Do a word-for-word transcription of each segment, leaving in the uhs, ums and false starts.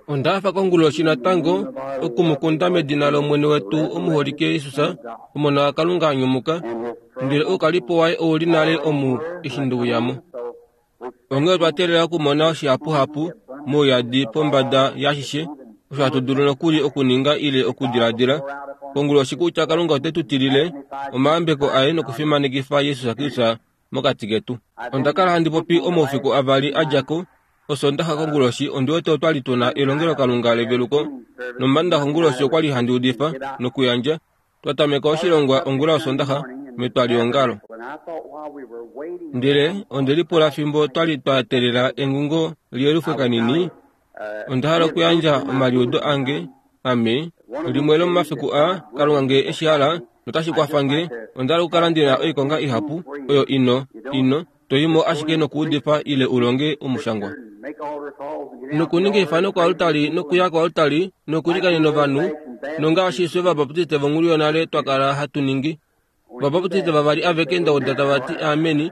Onda hafa konguloshi natango okumukunda medina lOmwene wetu omuholike Jesus, Omona waKalunga a nyumuka, ndele oukalipo waye ouli nale omu eshi ndeuyamo. Onghee otwa teelela okumona shihapuhapu mouyadi pombada yaashishe osho hatu dulu nokuli okuninga ile okudiladila konguloshi kutya Kalunga ote tu tilile omayambeko aye nokufimanekifa Jesus Kristus mokati ketu. Onda kala handi popi omaufiku avali a dja ko, Osondaxa konguloshi ondi wete otwa li tuna elongelokalunga leveluko, nOmandaxa konguloshi okwa li handi udifa nokuyandja. Twa tameka oshilongwa ongula yOsondaxa metwaliongalo. Ndele onde lipula fimbo twa li twa teelela engungo liyelufwe kanini, onda hala okuyandja omaliudo ange ame limwe lomomafiku aa, Kalunga ngee eshi hala notashi kwafa nge, onda hala okukala ndi na oikonga ihapu oyo ino ino toimo ashike nokuudifa ile u longe omushangwa. Nokuninga eifano koaltari nokuya koaltari nokuilikanena ovanhu, nongaashi fye Ovabaptiste vonghulu yonale twa kala hatu ningi. Ovabaptiste vavali aveke nda uda tava ti ameni,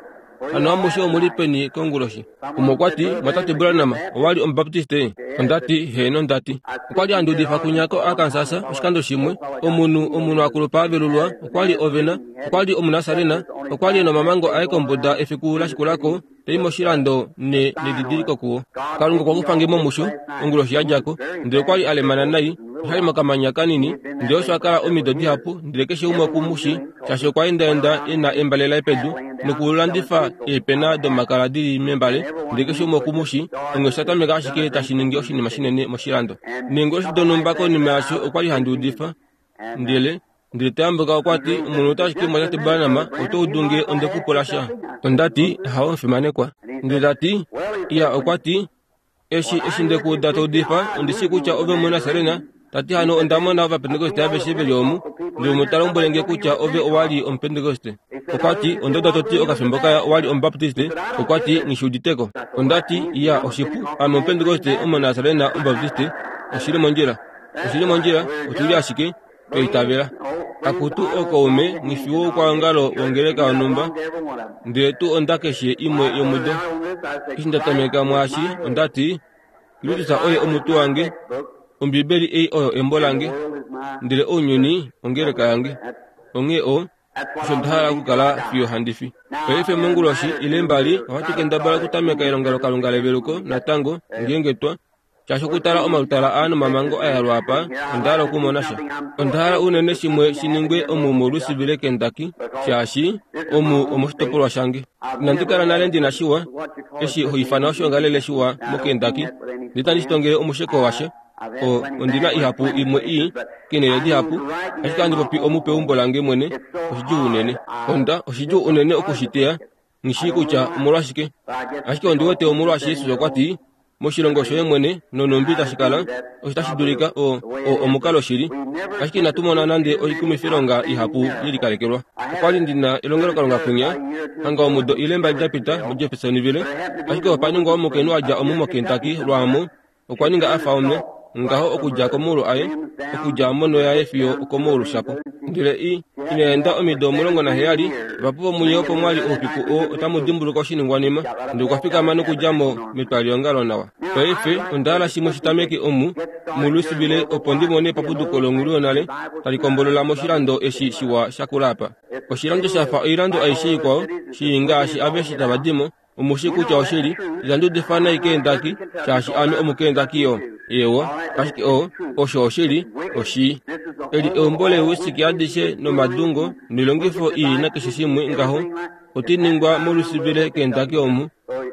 hano amushe omu li peni konguloshi? Umwe okwa ti, Mwatate Branham, owa li Omubaptiste? Onda ti, Heeno, nda ti. Okwa li handi udifa kunya koArkansas oshikando shimwe, omunhu omunhu akulupa a velulwa, okwa li ovena, okwa li Omunasarena, okwa li e nomamango aye kombuda efiku la shikula ko, ta i moshilando ne nedidiliko kuwo. Kalunga okwa kufa nge mo musho, onguloshi ya dja ko, ndele okwa li a lemana nai, osha li mokamanya kanini, ndele osho a kala omido dihapu, ndele keshe umwe oku mu shii, shaashi okwa endaenda e na embale laye pedu, nokulandifa eepena domakala di li membale, ndele keshe umwe oku mu shii, onghee osha tameka ashike tashi ningi oshinima shinene moshilando. Neenguloshi donhumba konima yasho okwa li handi udifa, ndele ndele ta yambuka okwa ti, Omunhu ota ashike mwatate Branham, oto udu nge onde ku pula sha? Onda ti, Hawo omufimanekwa. Ndele ta ti, Iya, okwa ti, eshi eshi nde ku uda to udifa, ondi shii kutya ove Omunasarena. Ta ti hano onda mona Ovapentekoste aveshe ve li omu, ndele umwe ta lombwele nge kutya ove owa li Omupentekoste. Okwa ti, onda uda to ti okafimbo kaya owa li Omubaptiste. Okwa ti, nghi shi uditeko. Onda ti, Iya, oshipu, ame Omupentekoste, Omunasarena, Omubaptiste. Oshi li mondjila. Oshi li mondjila, otu li ashike twa itavela. Akutu ookaume, nghi fi woukwaongalo wongeleka yonhumba, ndele tuu onda keshe imwe yomudo. Eshi nda tameka mwaashi, onda ti, Kristus oye omutwe wange, Ombibeli ei oyo embo lange, ndele ounyuni ongeleka yange. Onghee o, osho nda hala okukala fiyo handi fi. Paife monguloshi ile mbali ohatu kendabala okutameka elongelokalunga leveluko natango, ngeenge twa shaashi okutala omalutala aa nomamango a yalwa apa, onda hala okumona sha. Onda hala unene shimwe shi ningwe omu moLouisville, Kentucky, shaashi omu omoshitopolwa shange. Inandi kala nale ndi na shiwa, eshi ho ifana oshiongalele shiwa moKentucky, ndele itandi shi tongele omusheko washa. O, ondi na ihapu imwe ii, keenhele dihapu, ashike ohandi popi omu peumbo lange mwene, oshidjuu unene. Onda, oshidjuu unene oku shi teya, nghi shii kutya omolwashike. Ashike ondi wete omolwaashi Jesus okwa ti, moshilongo shoye mwene nonhumbi tashi kala, osho tashi dulika o, o omukalo shili. Ashike inatu mona nande oikumwifilonga ihapu ye likalekelwa. Okwa li ndi na elongelokalunga kwinya, hanga omudo ile mbali da pita muJeffersonville, ashike opa ningwa omukainhu a dja omu moKentucky lwaamo, okwa ninga a fa omwe, ngaho okudja komaulu aye, okudja monho yaye fiyo okomaulu shapo. Ndele i, ina enda omido omulongo naheyali, vahapu vomunye opo mwa li oufiku oo otamu dimbuluka oshiningwanima, ndele okwa fikama nokudja mo metwaliongalo nawa. Paife onda hala shimwe shi tameke omu muLouisville opo ndi mone epapuduko longhulu yonale tali kombolola moshilando eshi shiwa shakula apa. Oshilando sha fa oilando aishe ikwao, shii ngaashi aveshe tava di mo, omu shii kutya oshili, itandi udifa nai keendaki, shaashi ame omukeendaki yo. Eewa, ashike o, osho oshili, oshii. Eli eumbo leewisiki adishe nomadungo noilongifo ii nakeshe shimwe ngaho, oti ningwa moLouisville keendaki omu,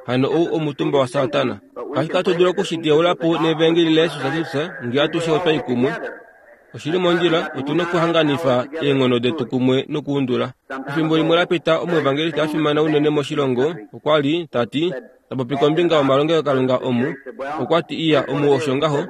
hano ou omutumba waSatana. Ashike ohatu dulu oku shi teyaula po nevangeli laJesus Kristus ngee atushe otwa i kumwe. Oshi li mondjila, otu na okuhanganifa eenghono detu kumwe nokuundula. Efimbo limwe la pita omuevangeliste a fimana unene moshilongo okwa li ta ti, ta popi kombinga yomalongelokalunga omu, okwa ti iya omu osho ngaho,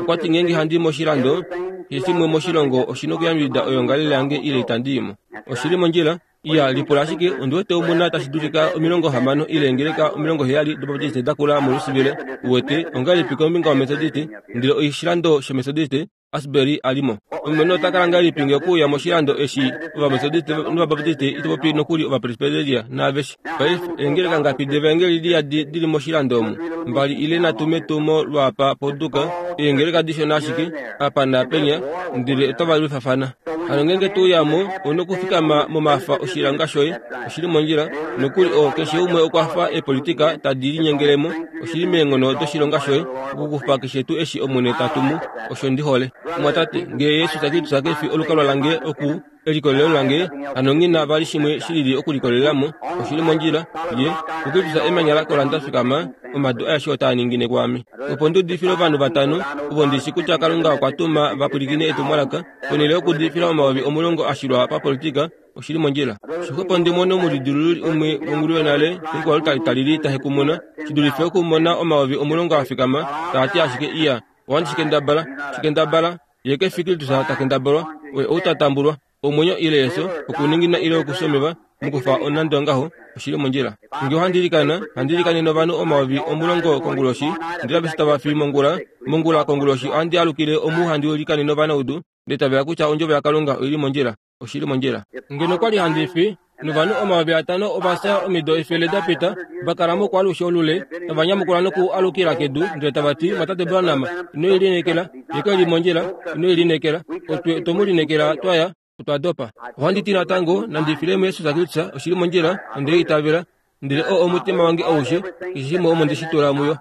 okwa ti ngeenge handi i moshilando, keshe shimwe moshilongo oshi na okuyambidida oyoongalele yange ile itandi i mo. Oshi li mondjila, iya lipula ashike ondi wete omu na tashi dulika omilongo hamano ile eengeleka omilongo heyali doBaptiste da kula moLouisville, uwete, ongahelipi kombinga yoMethodiste, ndele oshilando shoMethodiste Asbury a li mo. Omwene ota kala ngahelipi nge okuuya moshilando eshi Ovametodiste nOvabaptiste ito popi nokuli Ovapresbyteria naaveshe. Paife eengeleka ngapi devaengeli liyadi dili moshilando omu? Mbali ile nhatu metumo lwaapa poduka, eengeleka dishona ashike, apa naapenya, ndele otava lwifafana. Hano ngeenge to uya mo, ouna okufikama momafa oshilonga shoye, oshili mondjila, nokuli oo keshe umwe okwa fa eepolitika tadi linyengelemo, oshili meenghono doshilonga shoye, okukufa keshe tuu eshi Omwene ta tumu, osho ndi hole. Omwatate, ngee Jesus Kristus ke fi olukalwa lange oku elikolelo lange, hano nghi na vali shimwe shilili okulikolelela mo, oshili mondjila, ye, kuKristus emanya lakola nda fikama, omadu aeshe otaa ningine kwaame. Opo ndi udifile ovanhu vatano, ovo ndi shi kutya Kalunga okwa tuma va pwilikine etumwalaka, ponhele yokuudifila omayovi omulongo a shilwa papolitika, oshili mondjila. Shixwepo ndi mone omulidilululi umwe wongulu yonale yokwalu talili ta hekumuna, shi dulife okumona omayovi omulongo a fikama, taa ti ashike iya, ohandi shi kendabala, shi kendabala, ye ke fi Kristus ta kendabalwa, oye ou ta tambulwa, omwenyo ile efyo, okuningina ile okusomeva, mokufa onando ngaho, oshili mondjila. Nge ohandi ilikana, handi ilikanene ovanhu omayovi omulongo konguloshi, ndele aveshe tava fi mongula, mongula konguloshi ohandi alukile omu handi ilikanene ovanaudu, ndele tavela kutya ondjovo yaKalunga oili mondjila, oshili mondjila. Ngeno okwali handi fi, novanhu omayovi atano ova fya omido efele da pita, va kala mokwaalushe olule, tava nyamukula noku alukila kedu, ndele tava ti, Mwatate Branham, ino ilineekela, ye ke li mondjila, ino ilineekela, otwe otwe mu lineekela twaya, otwa dopa. Ohandi ti natango, nandi file muJesus Kristus, oshili mondjila, onde itavela, ndele oo omutima wange aushe, keshe shimwe omo nde shi tula muyo,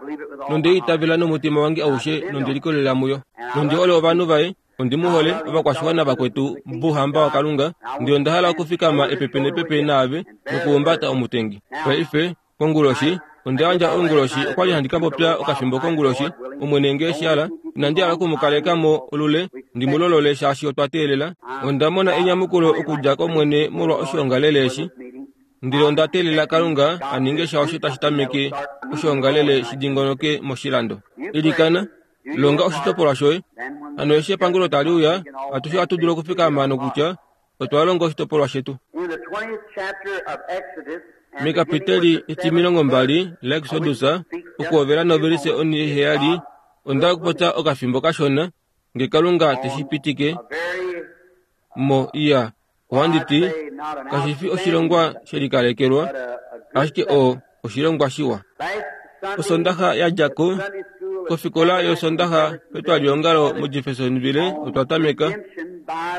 nonde itavela nomutima wange aushe, nonde likolelela muyo, nonde hole ovanhu vaye, ondi mu hole, ovakwashiwana vakwetu bouhamba waKalunga, ndele onda hala okufikama epepe nepepe naave nokuhumbata omutengi. Paife, konguloshi, onda yandja onguloshi, okwali handi ka popya okafimbo konguloshi, Omwene nge eshi hala, inandi hala oku mu kaleka mo olule, ndi mu lolole shaashi otwa teelela. Onda mona enyamukulo okudja kOmwene molwa oshiongalele eshi, ndele onda teelela Kalunga a ninge sha osho tashi tameke oshiongalele shi dingonoke moshilando. Ilikana, longa oshitopolwa shoye. Hano eshi epangulo tali uya, atushe ohatu dulu okufikama nokutya otwa longa oshitopolwa shetu. Mekapiteli etimilongo mbali laExodus, okuhovela novelise oniheyali, onda okupopya okafimbo kashona, nge Kalunga te shi pitike mo iya, ohandi ti, kashi fi oshilongwa shelikalekelwa, ashike oo oshilongwa shiwa. Osondaxa ya dja ko, kofikola yOsondaxa petwaliongalo muJeffersonville otwa tameka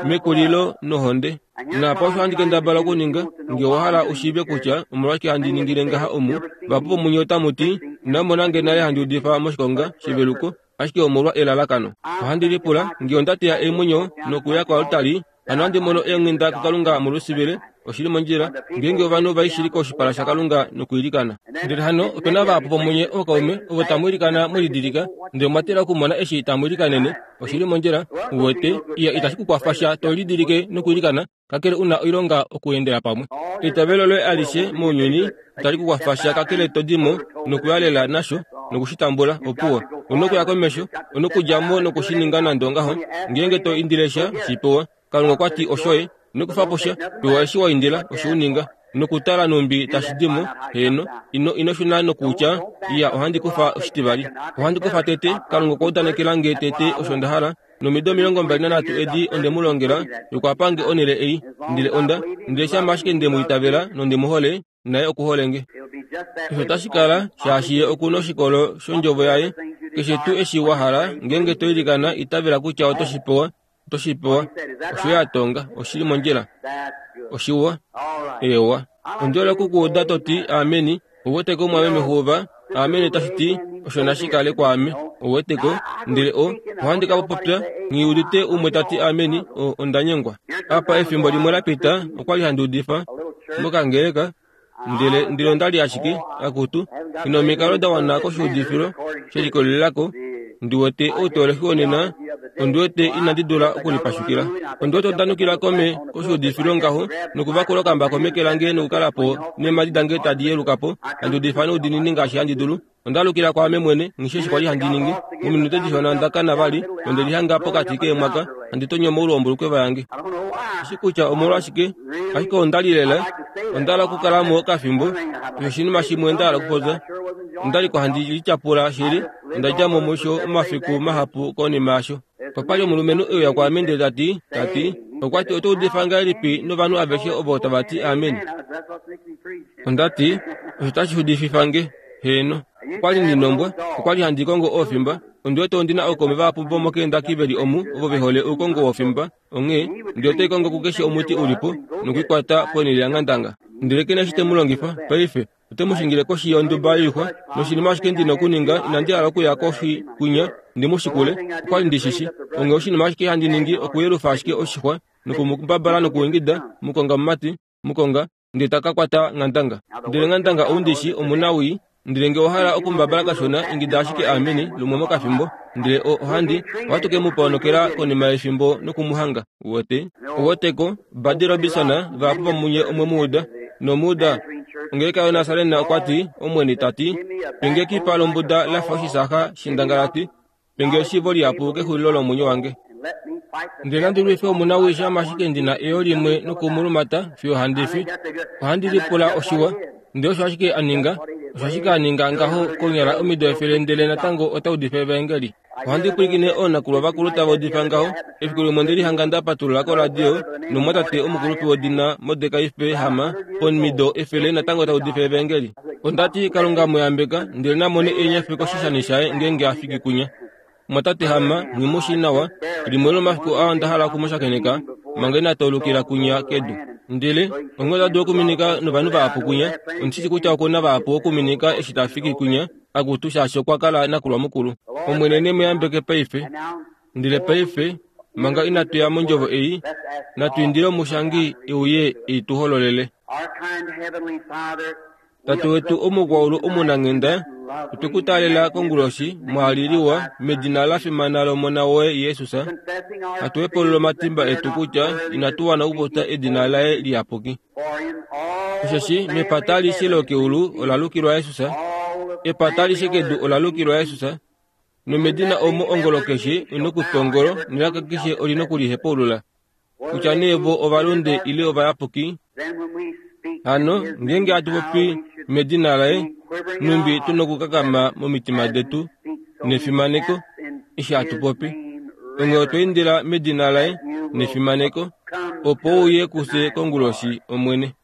mekulilo nohonde. Naapa osho handi kendabala okuninga, nge owa hala u shiive kutya omolwashike handi ningile ngaha omu, vahapu vomunye otamu ti, inamu mona nge nale handi udifa moshikonga sheveluko, ashike omolwa elalakano. Ohandi lipula, nge onda teya eemwenyo nokuya koaltari, hano handi mono eenghenda kuKalunga molusivile, oshili mondjila, ngeenge ovanhu vai shili koshipala shaKalunga nokwiilikana. Ndele hano ope na vahapu vomunye ookaume ovo tamu ilikana mwe lidilika, ndele omwa tila okumona eshi tamu ilikanene, oshili mondjila, u wete, iya itashi ku kwafa sha to lidilike nokwiilikana, kakele una oilonga okuendela pamwe. Eitavelo loye alishe mounyuni itali ku kwafa sha kakele to di mo nokuyalela nasho nokushi tambula, opuwo. Una okuya komesho, una okudja mo nokushi ninga nande ongaho, ngeenge to indile sha, shi pewa. Kalunga okwa ti oshoye, ino kufa po sha, pewa eshi wa indila, osho u ninga. Nokutala numbi tashi di mo, heeno, ino ino shuna nokutya, iya ohandi kufa oshitivali. Ohandi kufa tete, Kalunga okwa udanekela nge tete osho nda hala, nomido omilongo mbali nanhatu edi onde mu longela, nokwa pa nge onhele ei, ndele onda, ndele shama ashike nde mu itavela nonde mu hole, naye oku hole nge. Osho otashi kala shaashi ye oku noshikolo shondjovo yaye, keshe tuu eshi wa hala, ngeenge to ilikana, itavela kutya oto shi pewa, oto shi pewa. Osho ye a tonga, oshili mondjila. Oshiwa. Eewa. Ondi hole oku ku uda to ti ameni, ou weteko omwameme Hoover, ameni otashi ti osho nashi kale kwaame, ou weteko, ndele o, ohandi ka popya, nghi udite umwe ta ti ameni, o, onda nyengwa. Apa efimbo limwe la pita, okwali handi udifa mokangeleka, ndele ndele onda li ashike, akutu, ina omikalo da wana koshiudifilo shelikolelelako, ndi wete outoolexi wonena, ondi wete inandi dula okulipashukila. Ondi wete onda nukila kome koshiudifilo ngaho, nokuvakula okambako meke lange nokukala po neemhadi dange tadi yeluka po, handi udifa noudiinini ngaashi handi dulu. Onda alukila kwaame mwene, nghi eshi kwali handi ningi. Mominute dishona onda kana vali, nonde lihanga pokati keemwaka, handi tonyo moule wombulukweva yange. Eshi kutya omolwashike, ashike onda li lela, onda hala okukala mo okafimbo, osho oshinima shimwe nda hala okupopya. Onda li ko handi lityapula shili, onda dja mo musho omafiku mahapu konima yasho. Opa li omulumenhu e uya kwaame ndele ta ti, ta ti, okwa ti oto udifa ngahelipi novanhu aveshe ovo tava ti amen. Onda ti, osho tashi udififa nge, heeno. Okwa li ndi nombwa, okwa li handi kongo oofimba. Ondi wete ondi na ookaume vahapu vomoKentucky ve li omu ovo ve hole oukongo wofimba. Onghee, ndele otai kongo kukeshe omuti ulipo nokuikwata ponhele yanghandanga. Ndele ke na eshi te mu longifa, paife, ote mu shingile koshi yonduba yoixwa. Noshinima ashike ndi na okuninga, inandi hala okuya koshi kwinya ndi mu shikule, okwa li ndi shi shi. Onghee oshinima ashike handi ningi okuyelufa ashike oshixwa nokumubabala nokuingida, mukonga mumati, mukonga, ndele ta ka kwata nghandanga. Ndele nghandanga ou ndi shi omunawii, ndele nge owa hala okumubabala kashona, ingida ashike ameni lumwe mokafimbo, ndele ohandi, ohatu ke mu ponokela konima yefimbo nokumuhanga. Uwete? Uweteko, Buddy Robinson, vahapu vomunye omwe mu uda. Nomuuda, ongeleka yoNasarena okwa ti, Omwene ta ti, penge ekipa lombuda la fa oshisaha shendangalati, penge eshiivo lihapu kexulilo lomwenyo wange. Ndele nandi lwife omunawii shama ashike ndi na eyo limwe nokumulumata fiyo handi fi. Ohandi lipula oshiwa. Ndele osho ashike a ninga, osho ashike a ninga ngaho konyala omido efele ndele natango ota udifa evaengeli. Ohandi pwilikine oonakulwa vakulu tava udifa ngaho. Efiku limwe onde lihanga nda patulula koradio nomumwatate omukulupe wedina Mordekai P. Hammer pomido efele natango ta udifa evaengeli. Onda ti Kalunga mu yambeka ndele namone eenyafi koshishani shaye ngeenge a fiki kunya. Mumwatate Hammer nghi mu shii nawa, limwe lomomafiku aa onda hala okumushakeneka manga ina taulukila kunya kedu. Ndele onghee ota dulu okuminika novanhu vahapu kunya, ondi shi shii kutya oku na vahapu okuminika eshi ta fiki kunya, akutu shaashi okwa kala nakulwa mukulu. Omwene ne mu yambeke paife. Ndele paife, manga inatu ya mondjovo ei, natu indile omushangi e uye e tu hololele. Tate wetu omukwaulu omunanghenda, otwe ku taalela konguloshi mwaaliliwa medina la fimana lOmona woye Jesus, hatu hepulula omatimba etu kutya inatu wana okupopya edina laye liyapuki. Osheshi mepata alishe lokeulu ola lukilwa Jesus, epata alishe kedu ola lukilwa Jesus, nomedina omo ongolo keshe i nokutwa ongolo nelaka keshe oli nokulihepaulula, kutya nee vo ovalunde ile ovayapuki. Hano ngeenge hatu popi medina laye, numbi tu nokukakama momitima detu nefimaneko eshi hatu popi. Onghee otwa indila medina laye nefimaneko, opo uye kufye konguloshi, Omwene.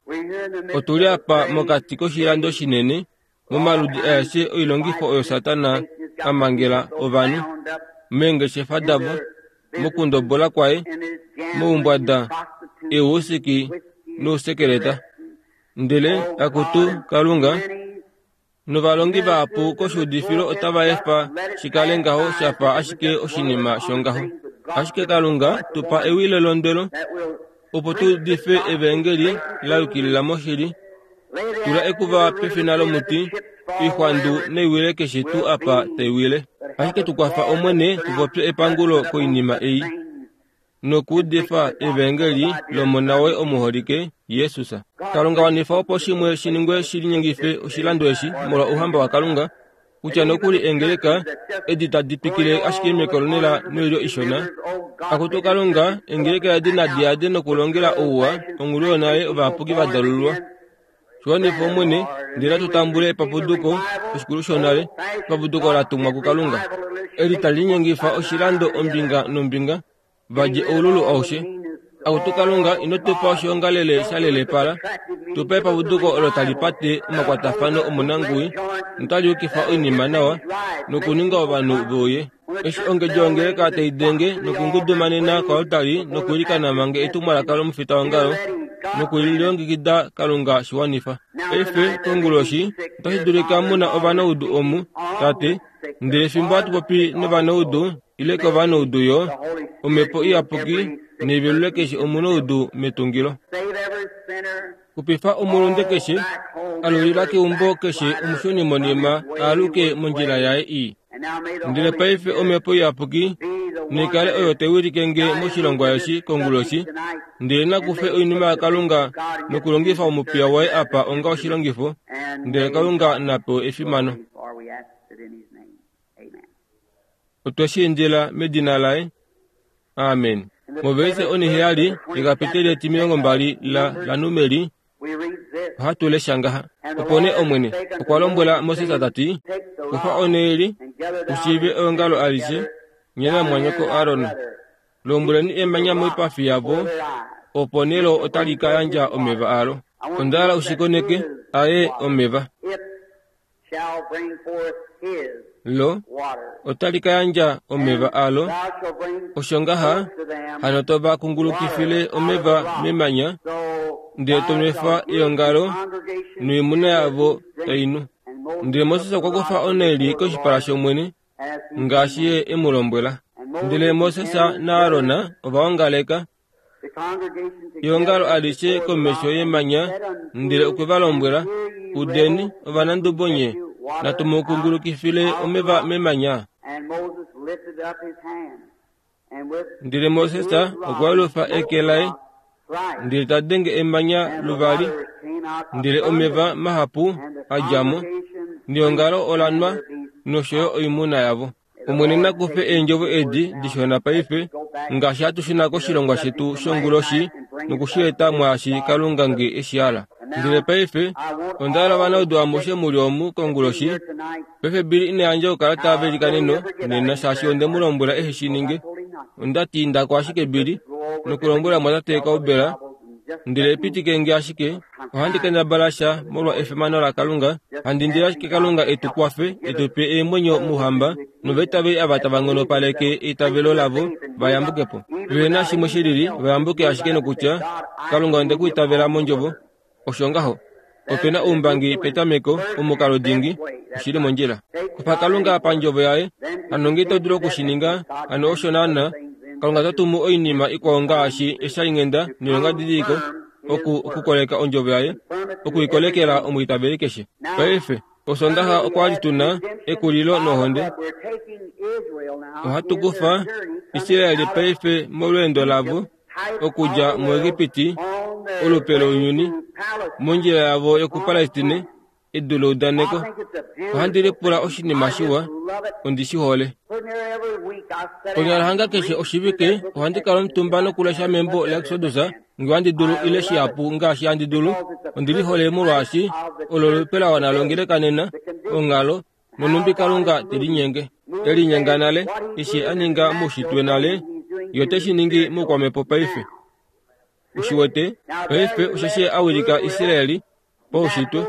Otu li apa mokati koshilando shinene, momaludi aeshe oilongifo oyo Satana a mangela ovanhu, meengeshefa davo, mokundobola kwaye, moumbwada, eewusiki nousekeleta. Ndele akutu Kalunga, novalongi vahapu koshuudifilo otava efa shi kale ngaho sha fa ashike oshinima shongaho. Ashike Kalunga, tu pa ewi lelondwelo, opo tu udife evaengeli la yukilila moshili. Tula ekuva pefina lomuti, oixwandu naiwile keshe tuu apa tai wile. Ashike tu kwafa Omwene tu popye epangulo koinima ei, nokuudifa evaengeli lOmona woye omuholike, Jesus. Kalunga wanifa opo shimwe shi ningwe shi linyengife oshilando eshi molwa ouhamba waKalunga, kutya nokuli eengeleka edi tadi twikile ashike mekolonela noilyo ishona. Akutu Kalunga, eengeleka edi nadi yade nokulongela ouwa onghulu yonale ovayapuki va dalululwa. Shiwanifa Omwene, ndele natu tambule epapuduko, oshikulu shonale, epapuduko la tumwa kuKalunga, eli tali linyengifa oshilando ombinga nombinga, va dje oululu aushe. Akutu Kalunga, ino tu pa oshiongalele sha lelepala, tu pa epapuduko olo tali pate omakwatafano omonanguwi notali yukifa oinima nawa nokuninga ovanhu ve uye. Eshi ongedjo yongeleka tai denge nokungudumanena koaltari nokwiilikana manga etumwalaka lomufitaongalo nokulilongekida Kalunga shiwanifa. Paife konguloshi otashi dulika mu na ovanaudu omu, Tate, ndele fimbo hatu popi novanaudu ile kovanaudu yo, Omhepo Iyapuki neivelule keshe omunaudu metungilo. Xupifa omulunde keshe, alulila keumbo keshe omushunimonima aaluke mondjila yaye ii. Ndele paife Omhepo Iyapuki naikale oyo tai wilike nge moshilongwa eshi konguloshi, ndele nakufe oinima yaKalunga nokulongifa omupiya waye apa onga oshilongifo, ndele Kalunga na pewe efimano. Otwe shi indila medina laye. Amen. Moveise oniheyali yekapiteli etimilongo mbali la laNumeri ohatu lesha ngaha. Opo nee Omwene okwa lombwela Moses ta ti, Kufa oneeli, u shiive eongalo alishe, Nye namwanyoko Aron, lombweleni emanya moipafi yavo, opo nelo otali ka yandja omeva alo. Onda hala ushikoneke aye omeva. Lo otali ka yandja omeva alo. Osho ngaha hano to va kungulukifile omeva memanya, ndele to nwefa eongalo noimuna yavo tai nu. Ndele Moses okwa kufa onhaili koshipala shOmwene, ngaashi ye e mu lombwela. Ndele Moses naAron ova ongaleka eongalo alishe komesho yemanya, ndele okwe va lombwela, udeni ovanandubo nye, natu mu kungulukifile omeva memanya. Ndele Moses okwa yelufa eke laye, ndele ta denge emanya luvali, ndele omeva mahapu a dja mo, neongalo ola nwa nosho yo oimuna yavo. Omwene na kufe eendjovo edi dishona paife, ngaashi hatu shuna koshilongwa shetu shonguloshi nokushi eta mwaashi Kalunga nge eshi hala. Ndele paife onda hala ovanaudu amushe muli omu konguloshi. Paife Billy ina yandja oukalata velikaneno nena shaashi onde mu lombwela ehe shi ninge. Onda ti indako ashike Billy nokulombwela mwatate Kaubela, ndele pitike nge ashike, ohandi kendabala sha molwa efimano laKalunga, handi indile ashike Kalunga etu kwafe, etu pe eemwenyo mouhamba, novaitaveli ava tava nghonopaleke eitavelo lavo va yambuke po. Ve na shimwe shilili, va yambuke ashike nokutya, Kalunga onde ku itavela mondjovo. Osho ngaho. Ope na oumbangi petameko, omukalo dingi, oshili mondjila. Kufa Kalunga pandjovo yaye, hano nge ito dulu okushininga, hano osho naana, Kalunga ota tumu oinima ikwao ngaashi eshalinghenda noilongadidiliko oku okukoleka ondjovo yaye, okuikolekela omwiitaveli keshe. Paife, Osondaxa okwa li tuna ekulilo nohonde. Ohatu kufa Israeli paife molweendo lavo okudja muEgipiti, olupe lounyuni, mondjila yavo yokuPalestine, edu leudaneko. Ohandi lipula oshinima shiwa, ondi shi hole. Konyala hanga keshe oshivike ohandi kala omutumba nokulesha membo laExodus nge handi dulu ile shihapu ngaashi handi dulu. Ondi lihole molwaashi olo olupe la wana longeleka nena, onghalo, nonumbi Kalunga te linyenge. E linyenga nale, eshi a ninga moushitwe nale, ye ote shi ningi moukwamhepo paife. Ushiwete, paife osheshi a wilika Israeli paushitwe,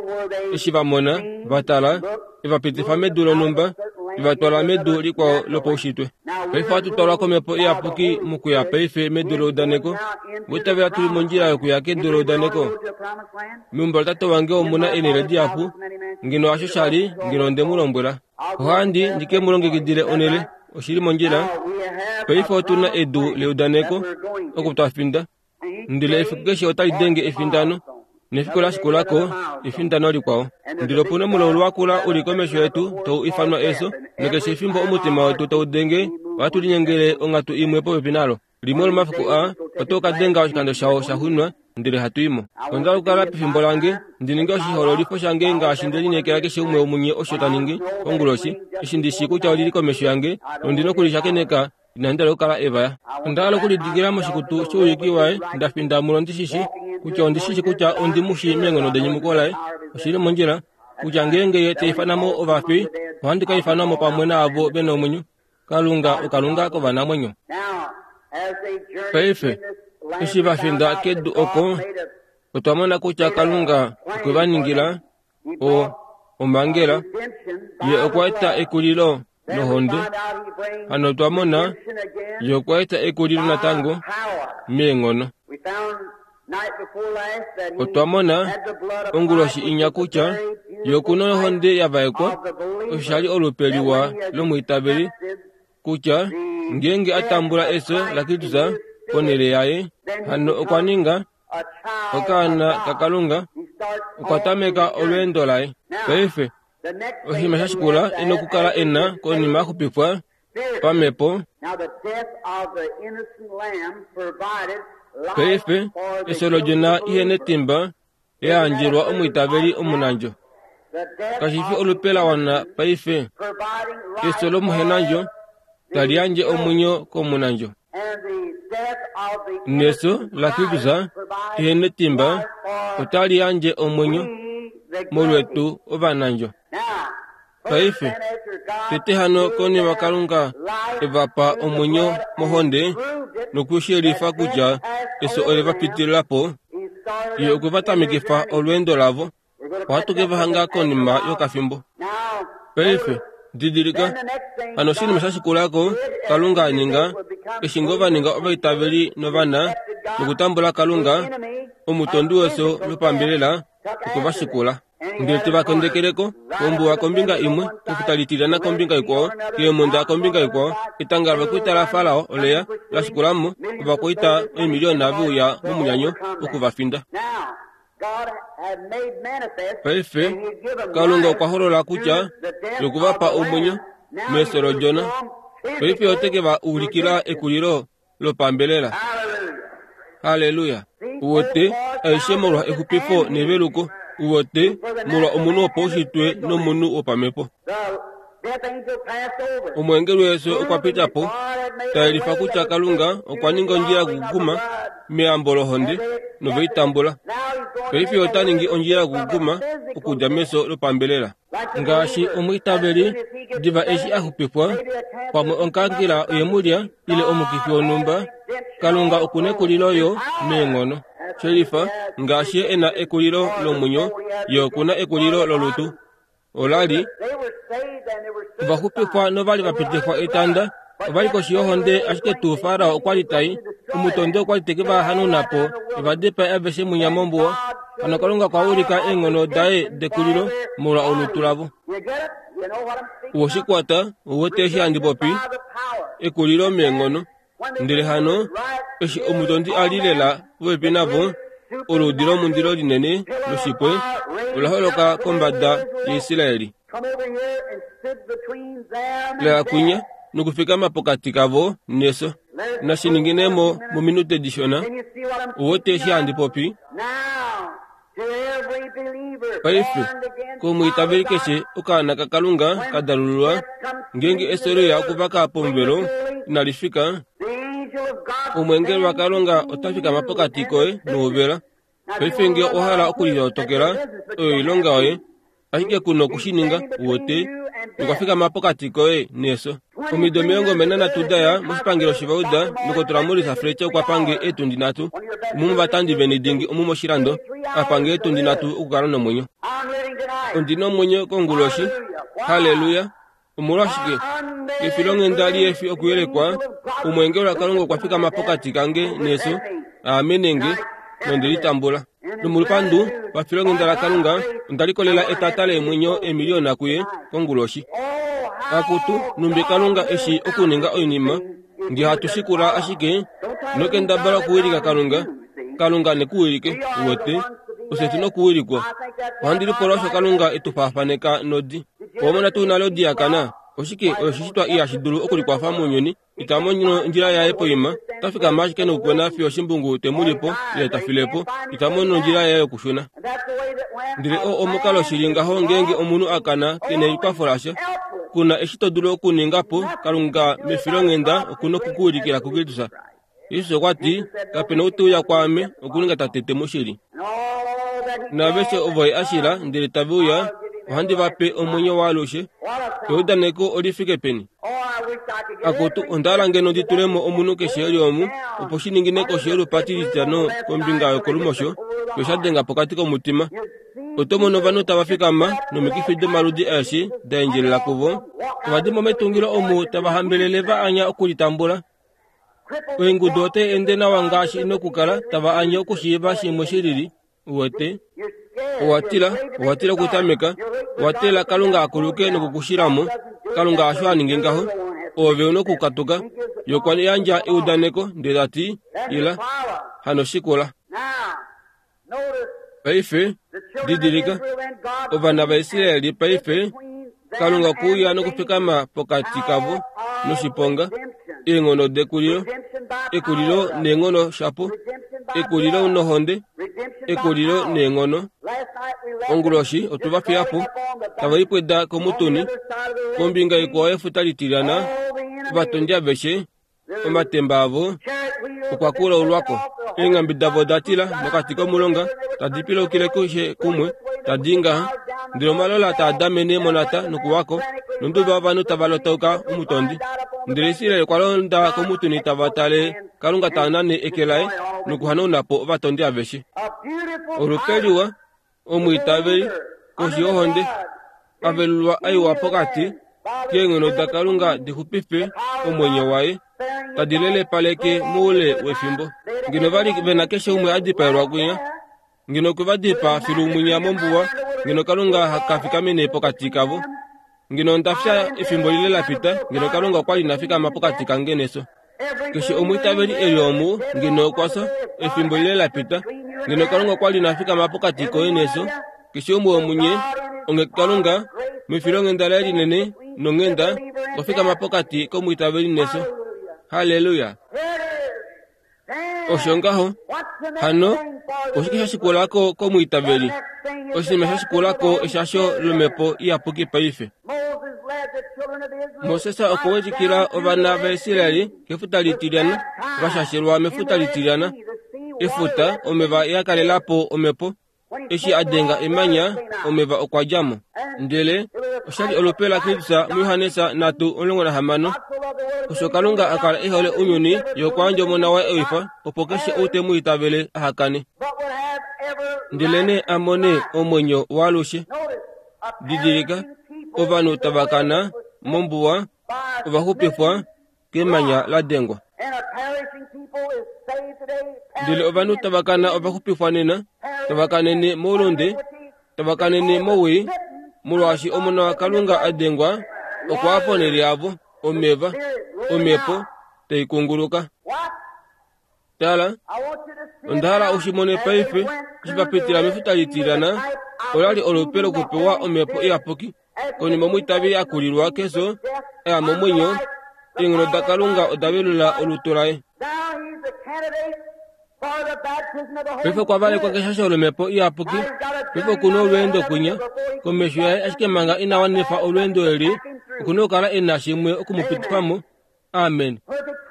eshi va mona, va tala, e va pitifa medu lonhumba, e va twala medu likwao lopaushitwe. Paife ohatu twalwa komhepo iyapuki mokuya paife medu leudaneko. Oitavela tuli mondjila yokuya kedu leudaneko. Meumbo latate wange omuna eenhele dihapu, ngeno hasho sha li, ngeno onde mu lombwela. Ohandi ndi ke mu longekidile onhele, oshili mondjila. Paife otu na edu leudaneko oku twa finda, ndele efiku keshe otali denge efindano, nefiku la shikulako efindano likwao. Ndele opu na omulaulu wakula uli komesho yetu tau ifanwa efyo, nokeshe efimbo omutima wetu tau denge, ohatu linyengele onghatu imwe popepi nalo. Limwe lomafiku aa oto ka denga oshikando shao sha xunwa, ndele hatu i mo. Onda okukala pefimbo lange, ndi ninge oshihoololifo shange ngaashi nde lineekela keshe umwe womunye osho ta ningi konguloshi, eshi ndi shii kutya olili komesho yange, nondi nokulishakeneka, inandi hala okukala evaya. Onda hala okulidikila moshikutu shouyuki waye, nda finda mulo ndi shishi kutya ondi shishi kutya ondi mu shii meenghono denyumuko laye. Oshili mondjila kutya ngeenge ye ta ifana mo ovafi, ohandi ka ifanwa mo pamwe naavo ve na omwenyo. Kalunga oKalunga kovanamwenyo. Paife, eshi va finda kedu oko, otwa mona kutya Kalunga okwe va ningila o omhangela, ye okwa eta ekulilo nohonde. Hano otwa mona ye okwa eta ekulilo natango meenghono. Otwa mona onguloshi inya kutya ye okuna ohonde ya vaekwa, osho sha li olupe liwa lomwiitaveli, kutya ngeenge a tambula efyo laKristus ponhele yaye, hano okwa ninga okaana kaKalunga, okwa tameka olweendo laye. Paife, oshinima sha shikula e nokukala e na konima a xupifwa pamhepo. Paife, efyo lodjona ihe netimba yayandjelwa omwiitaveli omunandjo. Kashi fi olupe la wana paife. Efyo lomuhenandjo tali yandje omwenyo komunandjo. Nefyo laKristus ihe netimba otali yandje omwenyo molwetu ovanandjo. Paife tete hano konima Kalunga evapa omwenyo mohonde nokushelifa kutya efyo ole va pitilila po, ye okwe va tamekifa olweendo lavo. Ohatu ke va hanga konima yokafimbo. Paife didilika hano oshinima sha shikulako Kalunga a ninga eshi ngoo va ninga ovaitaveli novana nokutambula Kalunga omutondi wefyo lopambelela okwe va shikula. Ndele te va kondekeleko kombuwa kombinga imwe, kefuta litilyana kombinga ikwao, keemhunda kombinga ikwao. Etanga lovakwaita laFarao oleya la shikulamo ovakwaita oimiliyona veuya momunyanyo oku va finda. Paife Kalunga okwa holola kutya yoku va pa omwenyo mefyo lodjona. Paife ote ke va ulikila ekulilo lopambelela. Haleluya! Uwete aishe molwa exupifo neveluko. Uwete molwa omunhu wopaushitwe nomunhu wopamhepo. Omweengeli wefyo okwa pita po, tayelifa kutya Kalunga okwa ninga ondjila yokukukuma meyambo lohonde noveitambula. Paife ota ningi ondjila yokukukuma okudja mefyo lopambelela. Ngaashi omwiitaveli diva eshi a xupifwa, pamwe okankela oye mu lya ile omukifi wonhumba, Kalunga okuna ekulilo yo meenghono. Shelifa ngaashi ye ena ekulilo lomwenyo, ye okuna ekulilo lolutu. Ola li ovaxupifwa novali va pitifwa etanda, ovali koshi yohonde, ashike tuu Farao okwa li tai, omutondi okwa li teke va hanauna po, eva dipae aveshe mwinya mombuwa. Hano Kalunga okwa ulika eenghono daye dekulilo molwa olutu lavo. Uwoshikwata, uwete eshi handi popi, ekulilo meenghono. Ndele hano eshi omutondi a li lela popepi navo, oluudi lomundilo linene loshipwe ola holoka kombada yaIsraeli. Leya kwinya nokufikama pokati kavo nefyo. Nashininginemo mominute dishona. Uwete eshi handi popi? Paife komwiitaveli keshe okaana kaKalunga ka dalululwa, ngeenge efyo leya okuvaka pomuvelo inali fika, omweengeli waKalunga ota fikama pokati koye nouvela. Paife ngee owa hala okulilotokela, oyo oilonga yoye, ashike ku nokushininga. Uwete okwa fikama pokati koye nefyo. Omido omilongo mbali nanhatu daya moshipangelo shivauda, Ndokotola Maurice Fletcher okwa pange eetundi nhatu, umwe womovatandi veni dingi omu moshilando, a pange eetundi nhatu okukala nomwenyo. Ondina omwenyo konguloshi. Haleluya! Omolwashike? Efilonghenda lihefi okuyelekwa, omweengeli waKalunga okwa fikama pokati kange nefyo, aamenenge, nonde litambula. Nomolupandu pafilonghenda laKalunga, onda likolela etata leemwenyo emiliyona kuye konguloshi. Akutu, numbi Kalunga eshi okuninga oinima, ngee hatu shikula ashike nokendabala okuwilika Kalunga, Kalunga nekuwilike. Uwete, ofye tuna okuwilikwa. Ohandi lipula osho Kalunga e tu faafaneka nodi. Owamona tuu nale odi yakana? Oshike oyo oshishitwa ihashi dulu okulikwafa mounyuni, ita mono ondjila yaye poima, ota fikama ashike nokukwena fiyo oshimbungu te mu lipo ile ta filepo, ita mono ondjila yaye yokushuna. Ndele oo omukalo shili ngaho ngeenge omunhu a kana ke na ekwafo lasha, kuna eshi to dulu okuninga po. Kalunga mefilonghenda okuna okukuwilikila kuKristus. Jesus okwa ti, kapena ou te uya kwaame okuninga Tate te mu shili. Naaveshe ovo ye a shila ndele tave uya, ohandi va pe omwenyo waalushe. Eudaneko oli fike peni? Akutu, onda hala ngeno ndi tule mo omunhu keshe eli omu, opo shi ningine koshi yolupati lititano kombinga yokolumosho, fiyo sha denga pokati komutima. Oto mono ovanhu tava fikama nomikifi domaludi aeshe da endjelela kuvo. Ova dimo metungilo omu tava hambelele va anya okulitambula. Oingudu otai ende nawa ngaashi ina okukala, tava anye okushiiva shimwe shilili. Uwete, owa tila, owa tila okutameka, owa teelela Kalunga a kuluke nokukushilamo. Kalunga hasho a ninge ngaho. Oove una okukatuka. Ye okwa yandja eudaneko ndele ta ti, ila, hano shikula. Paife, didilika, ovana vaIsraeli paife, Kalunga okwe uya nokufikama pokati kavo noshiponga, eenghono dekulilo, ekulilo neenghono shapo, ekulilo nohonde, ekulilo neenghono. Onguloshi otwe va fiya po, tava lipweda komutuni, kombinga ikwao yefuta litilyana, ovatondi aveshe, omatemba avo okwa kulaulwako. Eenghambe davo oda tila mokati komulonga, tadi pilukile keshe kumwe, tadi i ngaha, Ndele omalola taa damene monata nokuwako, nonduba ovanhu tava lotauka omutondi. Ndele Israel okwa londa komutuni tava tale Kalunga ta nane eke laye nokuhanauna po ovatondi aveshe. Olupe liwa, omwiitaveli, koshi yohonde, avelulwa aiwa pokati keenghono daKalunga di xupife omwenyo waye, tadi lelepaleke moule wefimbo. Ngeno vali vena keshe umwe a dipaelwa kwinya, ngeno okwe va dipaa filu mwinya mombuwa, ngeno Kalunga kafikamene pokati kavo. Ngeno onda fya efimbo lile la pita, ngeno Kalunga okwa li ina fikama pokati kange nefyo. Keshe omwiitaveli eli omu, ngeno okwa fya efimbo lile la pita, ngeno Kalunga okwa li ina fikama pokati koye nefyo. Keshe umwe womunye, onge Kalunga, mefilonghenda laye linene nonghenda, okwa fikama pokati komwiitaveli nefyo. Halleluya! Osho ngaho. Hano, oshike sha shikulako komwiitaveli? Oshinima sha shikulako eshasho lomhepo iyapuki paife. Moses okwa welikila ovana vaIsraeli kefuta litilyana, va shashelwa mefuta litilyana. Efuta, omeva ya kalela po omhepo. Eshi a denga emanya, omeva okwa dja mo. Ndele oshali olupe laKristus muJohannes nhatu omulongo nahamano. Osho Kalunga a kala e hole ounyuni, ye okwa yandja Omona waye ewifa, opo keshe ou te mu itavele aha kane, ndelenee a mone omwenyo waalushe. Didilika, ovanhu tava kana mombuwa ova xupifwa kemanya la dengwa. Ndele ovanhu tava kana ova xupifwa nena, tava kanene moulunde, tava kanene mowii, molwaashi Omona waKalunga a dengwa okwa ya ponhele yavo, omeva, omhepo tai kunguluka. Tala, onda hala u shi mone paife, eshi va pitila mefuta litilyana, ola li olupe lokupewa omhepo iyapuki. Konima omwiitaveli a kulilwa kefyo, a ya momwenyo, eenghono daKalunga oda velula olutu laye. Paife okwa valekwa keshasho lomhepo iyapuki. Paife oku na olweendo kwinya komesho yaye, ashike manga ina wanifa olweendo eli, oku na okukala e na shimwe oku mu pitifa mo. Amen.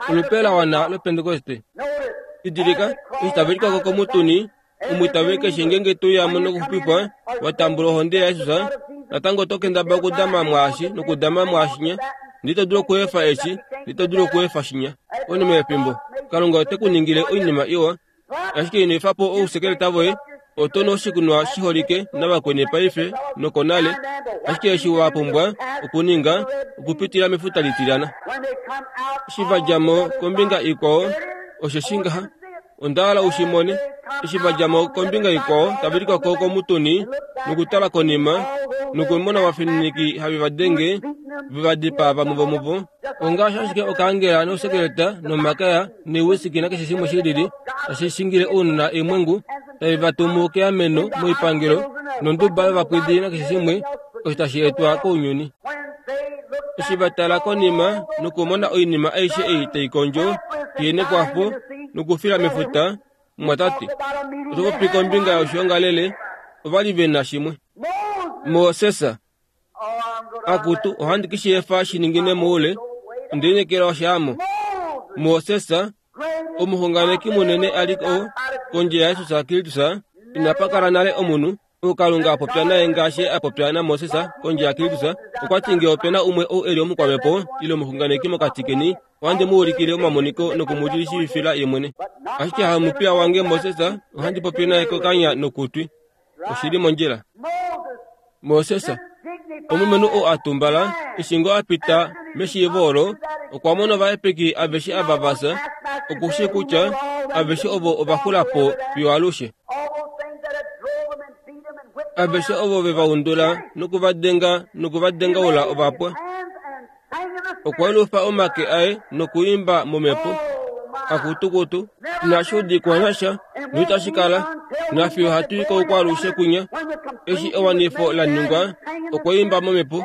Olupe la wana lOpentekoste. Didilika, eshi tave likwako komutuni, omwiitaveli keshe ngeenge to uya mo nokuxupifwa, wa tambula ohonde yaJesus, natango oto kendabala okudama mwaashi nokudama mwaashinya. Ndele ito dulu okuefa eshi, ndele ito dulu okuefa shinya. Konima yefimbo, Kalunga ote ku ningile oinima iwa, ashike ino efa po ousekeleta voye. Oto nu oshikunwa shiholike navakweni paife nokonale, ashike eshi wa pumbwa okuninga okupitila mefuta litilyana. Eshi va dja mo kombinga ikwao, osheshi ngaha, onda hala u shi mone. Eshi va dja mo kombinga ikwao, tava likwako komutuni nokutala konima, nokumona ovafininiki have va denge, ve va dipaa vamwe vomuvo, ongaashi ashike okaangela nousekeleta nomakaya neewisiki nakeshe shimwe shi lili, tashi shingile ounona eemwengu, tave va tumu keameno moipangelo nonduba yovapwidi nakeshe shimwe osho tashi etwa kounyuni. Eshi va tala konima nokumona oinima aishe ei tai kondjo, kenekwafo nokufila mefuta, mumwatate, oto popi kombinga yoshiongalele, ova li ve na shimwe. Moses, akutu, ohandi ke shi efa shi ningine moule, onde lineekela oshaamo. Moses, omuxunganeki munene a li o kondje yaJesus Kristus, inapa kala nale omunhu ou Kalunga a popya naye ngaashi a popya naMoses kondje yaKristus. Okwa ti ngee ope na umwe ou e li omukwamhepo ile omuxunganeki mokati keni, ohandi mu ulikile omamoniko noku mu shiivifila ye mwene. Ashike hamupiya wange Moses, ohandi popi naye kokanya nokutwi. Oshi li mondjila. Moses, omulumenhu ou a tumbala, eshi ngoo a pita meshiivo olo, okwa mona ovahepeki aveshe ava va fya, oku shii kutya aveshe ovo ova xula po fiyo alushe. Aveshe ovo ve va undula noku va denga noku va dengaula ova pwa. Okwa yelufa omake aye nokuimba momhepo, akutukutu, inashi udikwa nasha noitashi kala, nafiyo hatu i koukwalushe kwinya. Eshi ewanifo la ningwa, okwa imba momhepo,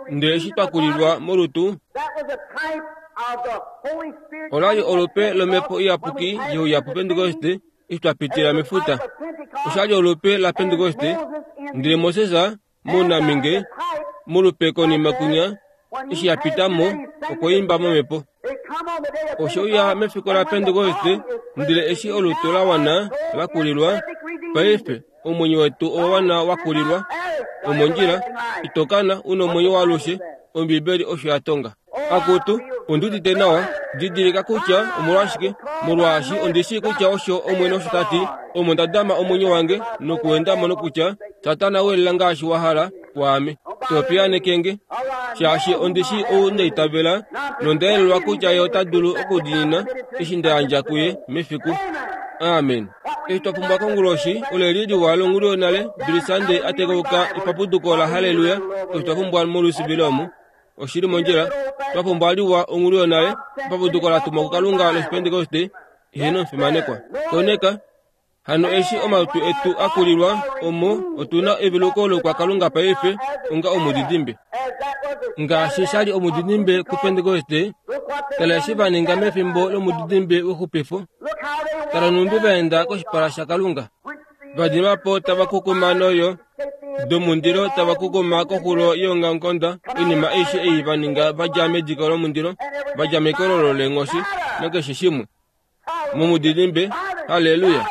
ndele eshi twa kulilwa molutu, ola li olupe lomhepo iyapuki ye uya puPentekoste eshi twa pitila mefuta. Osha li olupe laPentekoste, ndele Moses monaminge molupe konima kwinya eshi ya pita mo, okwa imba momhepo. Oshe uya mefiku laPentekoste, ndele eshi olutu la wana la kulilwa, paife omwenyo wetu owa wana wa kulilwa, Omondjila itokana una omwenyo waalushe, Ombibeli osho ya tonga. Akutu ondudite nawa, didilika kutya omolwashike, molwaashi ondishi kutya osho Omwene osho ta ti, omo nda dama omwenyo wange nokuenda mo nokutya Satana welela ngaashi wa hala kwaame. Topiyanekenge shaashi ondishi ou ndaitavela nondaelelwa kutya ye ota dulu okudiinina eshi nda yandja kuye mefiku. Amen. Eshi twa pumbwa konguloshi oleli liwa longulu yonale Billy Sunday a tekauka epapuduko la haleluya. Eshi twa pumbwa molusivile omu oshili mondjila, twa pumbwa liwa ongulu yonale epapuduko la tumwa kuKalunga loshipentekoste ihena omufimanekwa. Koneka hano eshi omalutu etu a kulilwa omo otuna eveluko lokwakalunga paife onga omudidimbe. Ngaashi shali omudidimbe kupentekoste, tala eshi va ninga mefimbo lomudidimbe wexupifo. Tala numbi vaenda koshipala shaKalunga. Vadimapo tava kukuma noyo domundilo tava kukuma koxulo yeongamukonda. Oinima aishe ei va ninga vadja mediko lomundilo, vadja mekololo leenghoshi nakeshe shimwe. Momudidimbe, haleluya,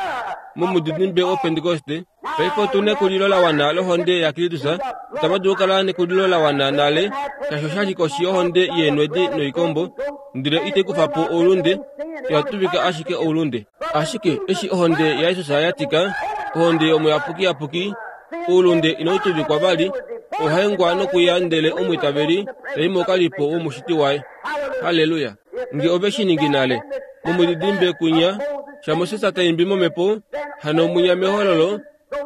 momudidimbe wopentekoste paife otuna ekulilo la wana lohonde yaKristus. Otava dulu okukala nekulilo la wana nale, shaashi oshali koshi yohonde yeenwedi noikombo, ndele itai kufa po oulunde, oya tuvika ashike oulunde. Ashike eshi ohonde yaJesus ya tika, ohonde yomuyapukiyapuki, oulunde inau tuvikwa vali, ohaengwa nokuya ndele omwiitaveli tai mokalipo womushiti waye. Haleluya. Nge ove shi ningi nale momudidimbe kunya shaMoses taimbi momhepo, hano munya mehololo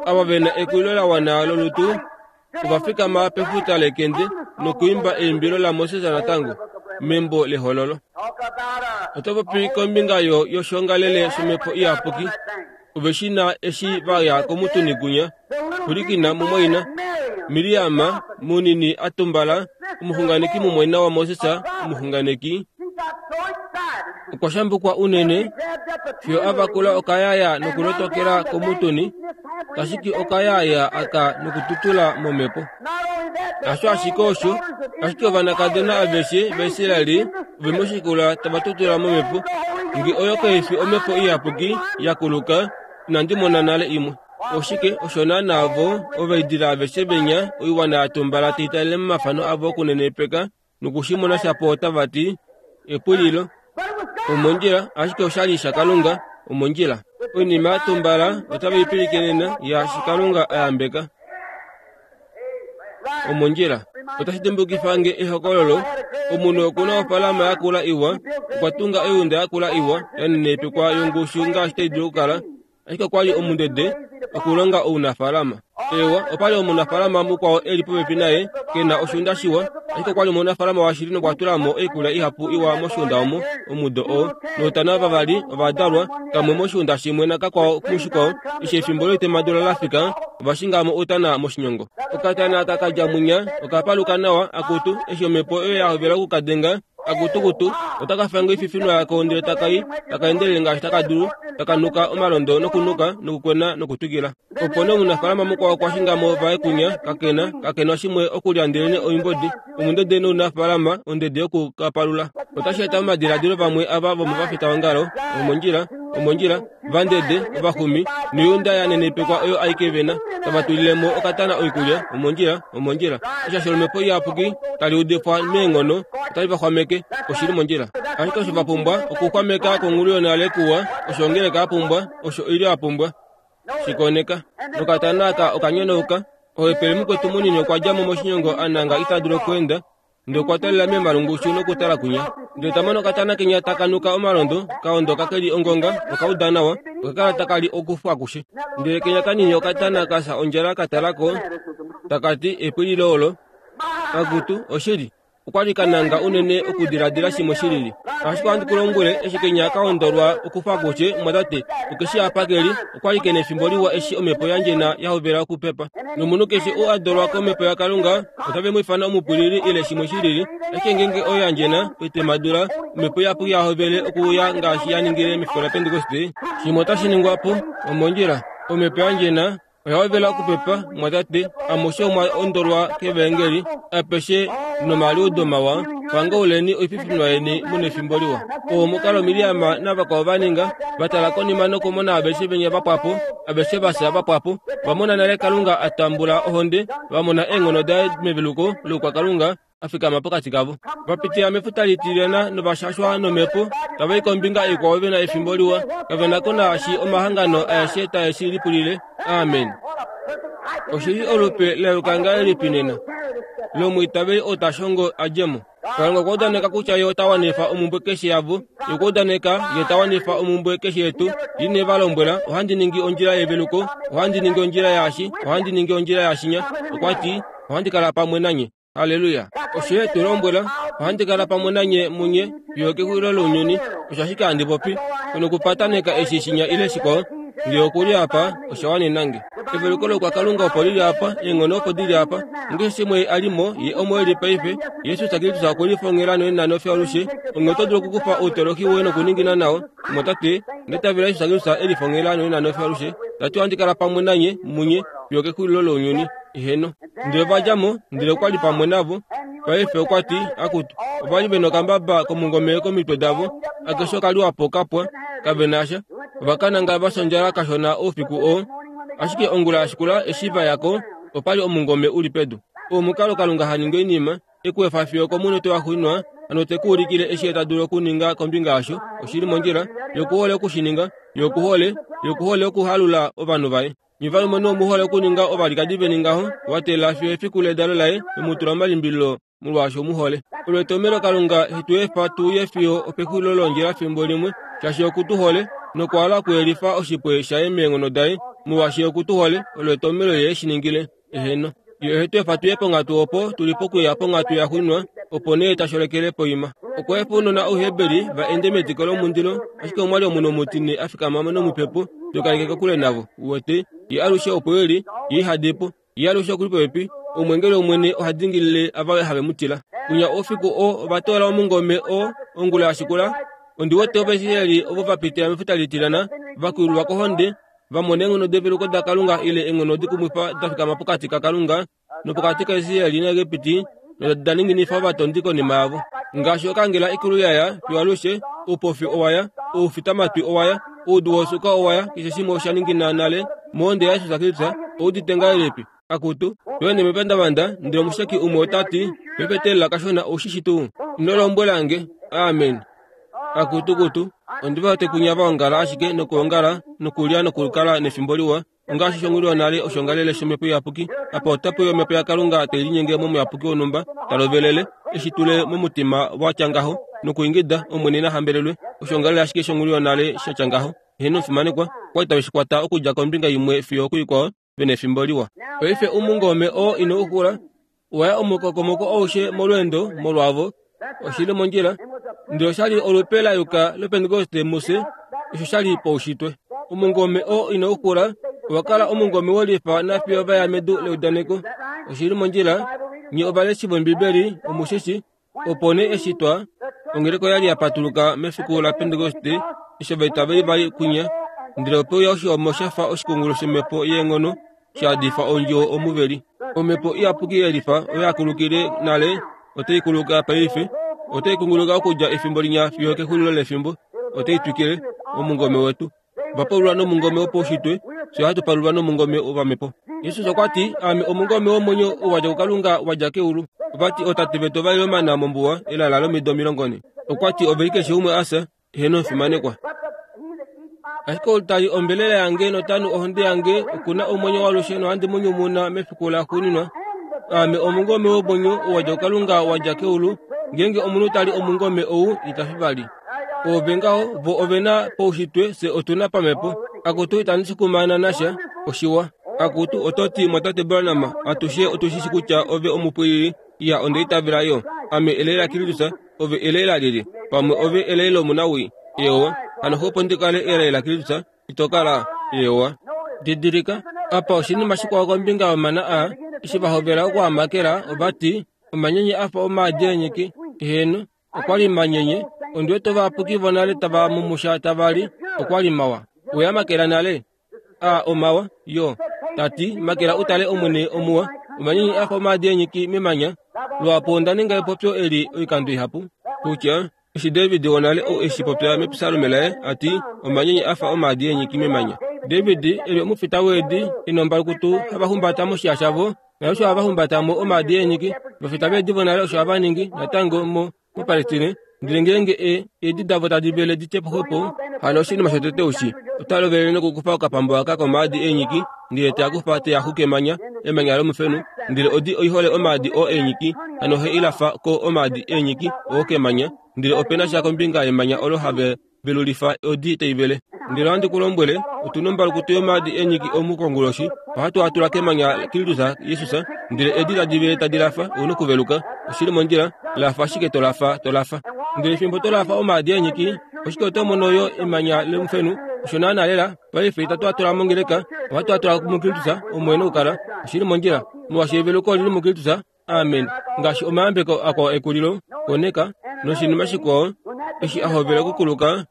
ava vena ekulilo la wana lolutu ova fikama pefuta lekende nokuimba eimbilo laMoses natango membo lehololo. Oto popi kombinga yo yoshongalele shomhepo iyapuki. Ove shi na eshi va ya komutuni kunya pulikina mumwaina Miriama munini a tumbala omuxunganeki mumwaina waMoses omuxunganeki okwa shambukwa unene fiyo a vakula okayaya nokulotokela komutuni, tashiki okayaya aka nokututula momhepo. Hasho ashike osho, ashike ovanakadona aveshe vaIsraeli ove moshikula tava tutula momhepo. Nge oyo kaifi omhepo iyapuki ya kuluka, inandi mona nale imwe. Oshike osho naana vo ovaidila aveshe venya oiwana ya tumbala tai talele momafano avo okunenepeka nokushimona shapo otava ti epulilo omondjila, ashike oshali shaKalunga omondjila. Oinima ya tumbala otava ipilikenena yaashi Kalunga a yambeka omondjila. Otashi dimbukifa nge ehokololo. Omunhu okuna ofalama yakula iwa, okwa tunga oyuunda yakula iwa yanenepekwa yongushu ngaashi tai dulu okukala, ashike okwali omundede okulonga ounafalama. Ewa, opali omunafalama mukwao eli popepi naye kena oshuunda shiwa, ashike okwali omunafalama washili nokwa tula mo oikulya ihapu iwa moshuunda omo omudo oo. Noutana vavali ovadalwa, kamwe moshuunda shimwe nakakwao mushikwao. Eshi efimbo loitemadula la fika, ova shinga mo outana moshinyongo. Okatana aka kadja munya okapaluka nawa akutu, eshi omhepo oyo ya hovela okukadenga akutukutu, otaka fanga oififinwa yako ndele takai taka endelele ngaashi taka dulu, taka nuka omalondo nokunuka nokukwena nokutwikila. Opo nee omunafalama mukwao okwa shinga mo vaye kunya kakena kakena shimwe okulya ndelene oimbodi. Omundede nounafalama ondede yokukapalula. Otashi eta momadiladilo vamwe ava vomovafitaongalo omondjila omondjila vandede ovaxumi noyuunda ya nenepekwa oyo aike vena tava tulile mo okatana oikulya omondjila omondjila. Eshasho lomhepo iyapuki tali udifwa meenghono otali va xwameke oshili mondjila. Ashike osho va pumbwa okuxwameka kongulu yonale kuwa, osho ongeleka ya pumbwa, osho oilyo ya pumbwa. Shikoneka nokatana aka okanyonauka. Ohepele mukwetu munini okwa dja mo moshinyongo a nanga ita dulu okweenda, ndele okwa talela memalungushu nokutala kunya. Ndele ta mono okatana kenya taka nuka omalondo, kaondoka keli ongonga, okauda nawa, okakala taka li okufu akushe. Ndele kenya kanini okatana kafya ondjala ka talako, taka ti epwililo olo. Akutu, oshili okwali kananga unene okudiladila shimwe shilili. Ashike ohandi ku lombwele, eshi kenya kaondolwa okufa akushe, mwatate, okeshi apa keli, okwali kena efimbo liwa eshi omhepo yandjena ya hovela okupepa. Nomunhu keshe oo a dolwa komhepo yaKalunga otave mu ifana omupwilili ile shimwe shilili, ashike ngeenge oyo yandjena oitemadula, omhepo iyapuki ya hovele okuuya ngaashi ya ningile mefiku laPentekoste, shimwe otashi ningwa po omondjila. Omhepo yandjena Oya hovela okupepa, mwatate, amushe omwa ondolwa kevangeli, apeshe nomaliudo mawa, pangauleni oififinwa yeni muna efimbo liwa. Oo omukalo Miriam navakwao va ninga, va tala konima nokumona aveshe venya vapwapo, aveshe vafya vapwapo, va mona nale Kalunga a tambula ohonde, va mona eenghono daye meveluko loukwakalunga a fikama pokati kavo. Va pitila mefuta litilyana novashashwa nomhepo, tava i kombinga ikwao ve na efimbo liwa, kave na ko naashi omahangano aeshe tae shi lipulile. Amen. Oshili olupe la ngahelipi nena lomwiitaveli oo ta shongo a dje mo. Kalunga okwa udaneka kutya ye ota wanifa omumbwe keshe yavo. Ye okwa udaneka ye ta wanifa omumbwe keshe yetu. Ine va lombwela, ohandi ningi ondjila yeveluko, ohandi ningi ondjila yaashi, ohandi ningi ondjila yaashinya. Okwa ti, ohandi kala pamwe nanye. Haleluya. Osho ye tu lombwela, ohandi kala pamwe nanye munye fiyo kexulilo lounyuni. Osho ashike handi popi. Nokupataneka eshi shinya ile shikwao. Ngee okuli apa, osha wanena nge. Eveluko lokwakalunga opo lili apa, eenghono opo dili apa. Ngeshi shimwe a li mo, ye omo e li paife. Jesus Kristus okwe lifongela noina nofya alushe. Onghee oto dulu okukufa outoloki woye nokuningina nao. Mwatate, nditavela Jesus Kristus e lifongela noina nofya alushe. Tati ohandi kala pamwe nanye, munye, fiyo kexulilo lounyuni. Eheno. Ndele va dja mo, ndele okwa li pamwe navo. Paife okwa ti, akutu, ova li ve nokambaba komungome komitwe davo. Akeshe oka liwa po kapwa, kave na sha. Ova kananga va sondjala kashona oufiku oo. Ashike ongula ya shikula eshi va ya ko, opa li omungome u li pedu. Omukalo Kalunga ha ningi oinima, e ku efa fiyo komunute wa xuuninwa, hano te ku ulikile eshi ye ta dulu okuninga kombinga yasho. Oshi li mondjila, ye okuhole oku shi ninga, ye okuhole, ye okuhole okuhalula ovanhu vaye. Nye valumenhu omuhole okuninga ovalikadi veni ngaho, wa teelela fiyo efiku ledalo laye, ve mu tula momalimbililo molwaashi omuhole. Olwetomelo Kalunga he tu efa tu ye fiyo opexulilo londjila fimbo limwe, shaashi oku tu hole, nokwa hala okuyelifa oshipwe shaye meenghono daye, molwaashi oku tu hole, olwetomelo ye eshi ningile. Eheno. Ye ohe tu efa tu ye ponghatu opo tu li pokuya ponghatu ya xuuninwa, opo nee ta sholekele poima. Okwa efa ounona Ouheberi va ende mediko lomundilo, ashike omwa li omunhu omutine a fikama nomupepo, to kaleke kokule navo. Uwete, ye alushe opo e li, ye iha di po. Ye alushe okuli popepi, omwengeli wOmwene oha dingilile ava have mu tila. Kunya oufiku oo ova toola omungome oo ongula ya shikula. Ondi wete Ovaisraeli ovo va pitila mefuta litilyana, va kululwa kohonde, va mona eenghono develuko daKalunga ile eenghono dikumwifa da fikama pokati kaKalunga nopokati kaIsraeli naEgipiti, noda ninginifa ovatondi konima yavo. Ngaashi okangela ikulu yaya fiyo alushe, oupofi owa ya, oufitamatwi owa ya, oudu wosuka owa ya, keshe shimwe osha ningina nale mohonde yaJesus Kristus. Oudite ngahelipi? Akutu, tweende mepandavanda, ndele omusheki umwe ota ti, pefetelela kashona oushishi tuu. Ino lombwela nge. Amen. Akutukutu, ondi va wete kunya va ongala ashike nokuongala nokulya nokukala nefimbo liwa. Ongaashi shonghulwa nale oshongalele shomhepo iyapuki. Apa otapu ya omhepo yaKalunga tai linyenge momuyapuki wonhumba, ta lovelele, eshi tule momutima wa tya ngaho, nokuingida, Omwene na hambelelwe. Oshongalele ashike shonghulwa nale sha tya ngaho. Eheno omufimanekwa, okwa li tave shi kwata okudja kombinga imwe fiyo okuikwao, ve na efimbo liwa. Paife omungome oo ino u xula, owa ya omukokomoko aushe molweendo molwavo. Oshi li mondjila. Ndele osha li olupe la yuka lOpentekoste mufye, osho sha li paushitwe. Omungome oo ino u xula, owa kala omungome wolifa nafiyo va ya medu leudaneko. Oshi li mondjila. Nye ovaleshi vOmbibeli omushishi, opo nee eshi twa ongeleka oya li ya patuluka mefiku laPentekoste, eshi ovaitaveli va li kwinya, ndele ope uya oshihomo sha fa oshikungulu shomhepo yeenghono sha yadifa ondjuwo omuveli. Omhepo iyapuki yelifa oyo ya kulukile nale otai kuluka paife, otai kunguluka okudja efimbo linya fiyo kexulilo lefimbo, otai twikile omungome wetu. Va palulwa nomungome wopaushitwe, fye ohatu palulwa nomungome wopamhepo. Jesus okwa ti, Aame omungome womwenyo ou wa dja kuKalunga wa dja keulu. Ova ti, Ootate vetu ova lile omana mombuwa elala lomido omilongo nhe. Okwa ti, Ove li keshe umwe a fya, eheno omufimanekwa. Ashike ou ta li ombelela yange nota nu ohonde yange oku na omwenyo waalushe nohandi mu nyumuna mefiku laxuuninwa. Aame omungome womwenyo ou wa dja kuKalunga wa dja keulu. Ngeenge omunhu ta li omungome ou, ita fi vali. Ove ngaho, vo ove na paushitwe, fye otu na pamhepo. Akutu, itandi shi kumaana nasha, oshiwa. Akutu, oto ti, Mwatate Branham, atushe otu shi shi kutya ove omupwilili. Iya, onda itavela yo. Ame elai laKristus, ove elai lalyelye? Pamwe ove elai lomunawii. Eewa, hano xwepo ndi kale elai laKristus, ito kala. Eewa. Didilika, apa oshinima shikwao kombinga yomana aa, eshi va hovela okuamakela, ova ti, omanyenye a fa omaadi eenyiki. Eheno, okwa li manyenye. Ondi wete ovayapuki vonale tava mumusha tava li, okwa li mawa. Owe a makela nale? A omawa, yo. Tati makela utale omwene omuwa omanyenye afa omaadi eenyiki memanya. Lwapo onda ninga epopyo eli oikando ihapu kutya eshi David wonale ou eshi popya mepsalme laye ati omanyenye afa omaadi eenyiki memanya. David eli omufita weedi enombalukutu hava humbata moshiya shavo naye osho hava humbatamo omaadi eenyiki. Ovafita veedi vonale osho hava ningi natango mo moPalestine. Ndele ngeenge e eedi davo tadi vele di tye po hano oshinima shotete ushi ota lovele nokukufa okapambo aka komaadi eenyiki ndele te a kufa te a xuka emanya emanya lomufenu ndele odi oihole omaadi oo eenyiki hano he ilafa ko omaadi eenyiki oo kemanya ndele opena sha kombinga yemanya olo have velulifa odi taivele. Ndele ohandi ku lombwele otuna ombalukutu yomaadi eenyiki omu konguloshi ohatu a tula kemanya Kristus Jesus ndele edi tadi vele tadi lafa ouna okuveluka oshili mondjila lafa ashike to lafa to lafa. Ndele fimbo to lafa omaadi eenyiki oshike oto mono yo emanya lomufenu osho naana lela paife itatu a tula mongeleka ohatu a tula muKristus omwene okukala oshili mondjila molwaashi eveluko olili muKristus. Amen. Ngaashi omayambeko akwao ekulilo koneka noshinima shikwao eshi a hovela okukuluka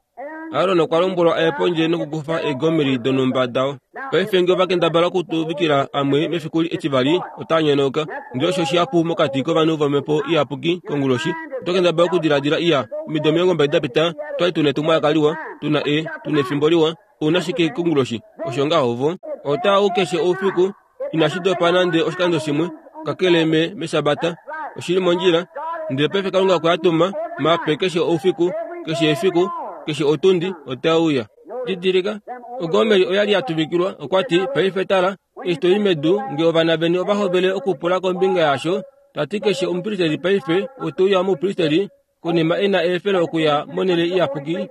Aaron okwa lombwelwa aye pondje nokukufa eegomeri donhumba dao. Paife nge ovakendabala okutuvikila amwe mefiku etivali otaa nyonauka. Ndele osho shihapu mokati kovanhu vomhepo iyapuki konguloshi. Oto kendabala okudiladila iya omido omilongo mbali da pita twali tuna etumwalaka liwa tuna e tuna efimbo liwa ouna shike konguloshi osho ngaho vo otaa u keshe oufiku inashi dopa nande oshikando shimwe kakele me meshabata oshili mondjila. Ndele paife Kalunga okwe a tuma mape keshe oufiku keshe efiku keshe otundi otauya. Didilika ogomeri oyali ya tuvikilwa okwati paife tala eshi toi medu nge ovana veni ova hovele okupula kombinga yasho tati keshe omupristeli paife otauya omupristeli konima ena eefelo okuya monhele iyapuki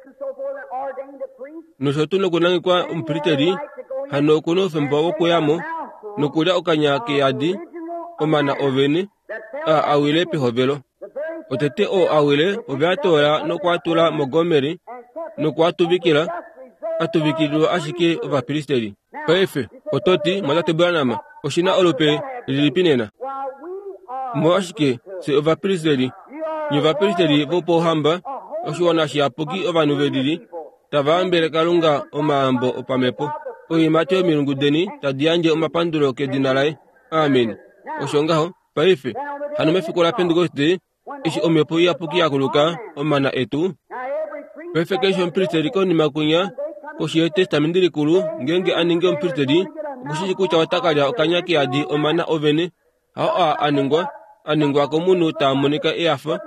nosho tuu nokunangekwa omupristeli hano okuna oufemba wokuyamo nokulya okanya keyadi omana ovene a awile pehovelo. Otete oo awile ove a toola nokwatula mogomeri nokwatuvikila atuvikililwa ashike ovapristeli. Paife ototi mwatate Branham oshina olupe lilipi nena? Molwashike fye ovapristeli nye ovapristeli vopouhamba oshiwana shiyapuki ovanhu velili tava yambele Kalunga omayambo opamhepo oiimati yomilungu deni tadi yandje omapandulo kedina laye. Amen. Osho ngaho paife hano mefiku la Pentekoste eshi omhepo iyapuki yakuluka omana etu paife keshe omupristeli konima kunya koshi yetestamenti likulu ngeenge a ninge omupristeli okushishi kutya ota kalya okanya keyadi omana ovene hao a aningwa aningwa komunhu taa monika eyafa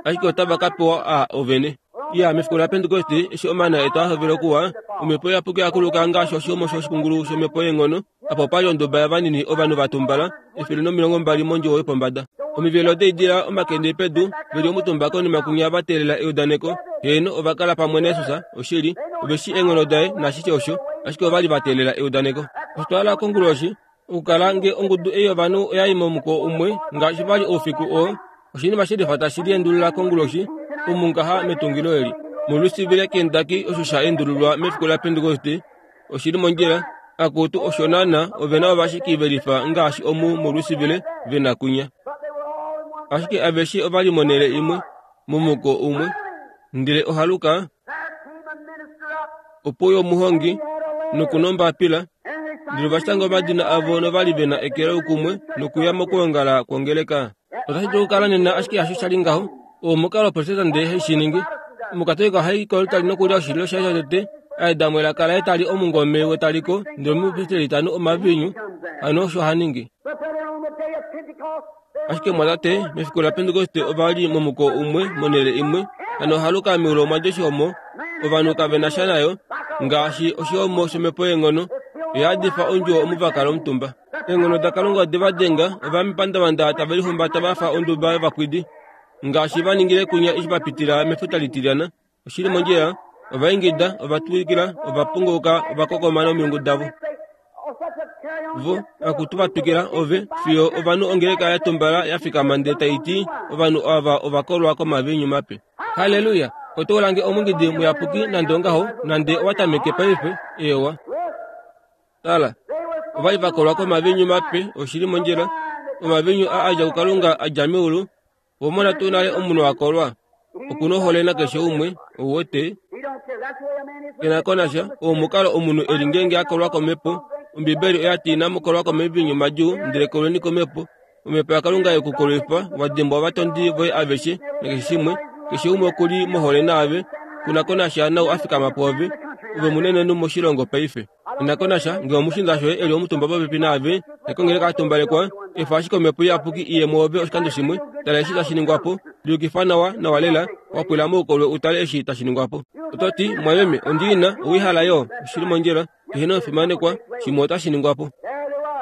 ashike otava ka pewa a ovene. Iya mefiku la Pentekoste eshi omana etu a hovela okuwa omhepo iyapuki yakuluka ngaashi oshihomo shoshikungulu shomhepo yeenghono apo pali onduba yavanini ovanhu va tumbala efele nomilongo mbali mondjuwo yopombada. Omivelo deidila omakende pedu veli omutumba konima kunya va teelela eudaneko. Heeno ova kala pamwe naJesus oshili oveshi eenghono daye nashishe osho ashike ovali va teelela eudaneko. Oshitwala konguloshi okukala nge ongudu ei yovanhu oya i momuko umwe ngaashi vali oufiku oo oshinima shelifa tashi liendulula konguloshi omu ngaha metungilo eli moLouisville Kentucky osho sha endululwa mefiku la Pentekoste oshili mondjila akutu osho naana ovena ovashiki velifa ngaashi omu moLouisville vena kunya ashike aveshe ovali monhele imwe momuko umwe ndele ohaluka opo yomuhongi nokunombapila ndele ovashanga omadina avo novali vena ekelo kumwe nokuya mokuongala kwongeleka. Otashi dulu okukala nena ashike hasho shali ngaho omukalo protestante haishiningi omukatolika ohai kolutali nokulya oshililo shaye shotete aedamwe elaka laye tali omungome wetaliko ndele omupristeli tanu omaviinyu hano osho haningi. Ashike mwatate mefiku la Pentekoste ovali momuko umwe monhele imwe hano ohaluka meulu omwa dja oshihomo ovanhu kavena sha nayo ngaashi oshihomo shomhepo yeenghono oyadifa ondjuwo omu vakala omutumba. Eenghono daKalunga ode va denga ovamipandavanda tave lihumbata vafa onduba yovakwidi ngaashi va ningile kunya eshi va pitila mefuta litilyana. Oshili mondjila ovaingida ovatwikila ovapungouka ovakokoma nomilungu davo vo akutu vatwikila ove fiyo ovanhu ongeleka ya tumbala ya fikama ndele taiti ovanhu ava ovakolwa komaviinyu mape. Haleluya! Oto lange omungidi muyapuki nande ongaho nande owatameke paife ewa tala ovali vakolwa komaviinyu mape oshili mondjila omaviinyu a adja kuKalunga adja meulu vomona tuu nale omunhu akolwa okuna ohole nakeshe umwe ouwete kena konasha omukalo omunhu eli ngeenge akolwa komhepo Ombibeli oya ti inamu kolwa komaviinyu madjuu, ndele kolweni komhepo. Omhepo yaKalunga yekukolwifa, wa dimbwa ovatondi voye aveshe nakeshe shimwe. Keshe umwe okuli mohole naave, kuna ko nasha nau a fikama pwoove, ove munenenhu moshilongo paife. Ina ko nasha ngee omushiinda shoye e li omutumba popepi naave, nekongele ka tumbalekwa, efa ashike omhepo iyapuki iye mwoove oshikando shimwe, tala eshi tashi ningwa po, liyukifa nawa nawa lela, wa pwila moukolwe utale eshi tashi ningwa po. Oto ti, mwameme, ondiina, owihala yo, oshili mondjila, eheno ofimanekwa, shimwe otashi ningwa po.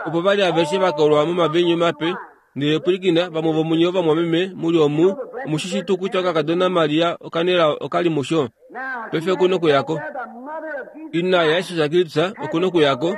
Opo vali aveshe vakolwa momaviinyu mape, ndele pwilikina, vamwe vomunye ovamwameme muli omu, omushishi tuu kutya okakadona Maria okanela okali musho. Paife oku nokuyako. Ina yaJesus Kristus oku nokuyako,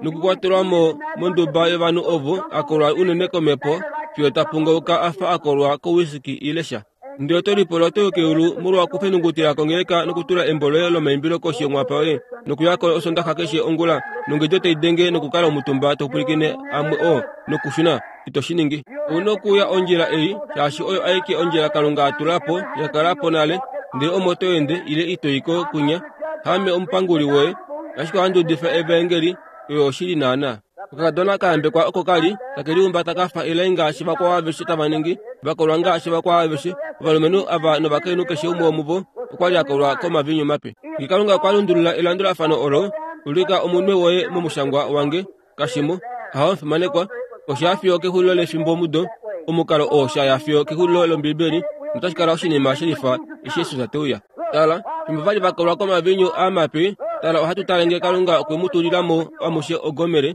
nokukwatelwa mo monduba yovanhu ovo a kolwa unene komhepo fiyo ta pungauka a fa a kolwa kowisiki ile sha. Ndele oto lipula oto i keulu molwa okufenungutila kongeleka nokutula embo loye lomaimbilo koshi yomwapa woye nokuyako osondaxa keshe ongula nongedi otai denge nokukala omutumba to pwilikine amwe oo nokushuna. Ito shi ningi. Ouna okuuya ondjila ei, shaashi oyo aike ondjila Kalunga a tula po, ya kala po nale, ndele omo to ende ile ito i ko kunya. Haame omupanguli woye, ashike ohandi udifa evaengeli, oyo oshili naana. Okakadona ka yambekwa oko kali take lihumbata kafa elai ngaashi vakwao aveshe tava ningi, vakolwa ngaashi vakwao aveshe, ovalumenhu ava novakainhu keshe umwe womuvo okwa li a kolwa komaviinyu mape. Nge Kalunga okwa lundulula elandulafano olo, ulika omunwe woye momushangwa wange, kashimo, haho fimanekwa, osha fiyo kexulilo lefimbo mudo, omukalo oo sha ya fiyo kexulilo lOmbibeli, notashi kala oshinima shelifa eshi Jesus te uya. Tala, fimbo vali vakolwa komaviinyu amape, tala ohatu tale nge Kalunga okwe mu tulila mo amushe ogomere.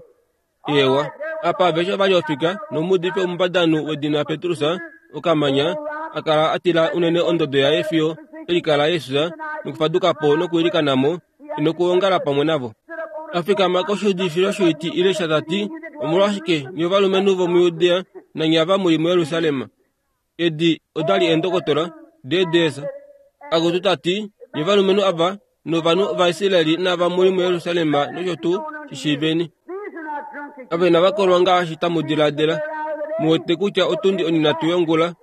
Ewa, apa aveshe ovali ofika nomuudifi omumbadanu wedina Petrus okamanya a kala a tila unene ondodo yaye fiyo elikala Jesus nokufaduka po nokuilikana mo nokuongala pamwe navo. A fikama koshiudifilo shoiti ile sha tati, omolwashike nye ovalumenhu vomuJudea nanye ava muli muJerusalem? Edi odali eendokotola deedesa. Akutu tati, nye ovalumenhu ava novanhu vaIsraeli nava muli muJerusalem nosho tuu shishiiveni. Ave inava kolwa ngaashi tamu diladila. Mu wete kutya otundi oninhatu yongula.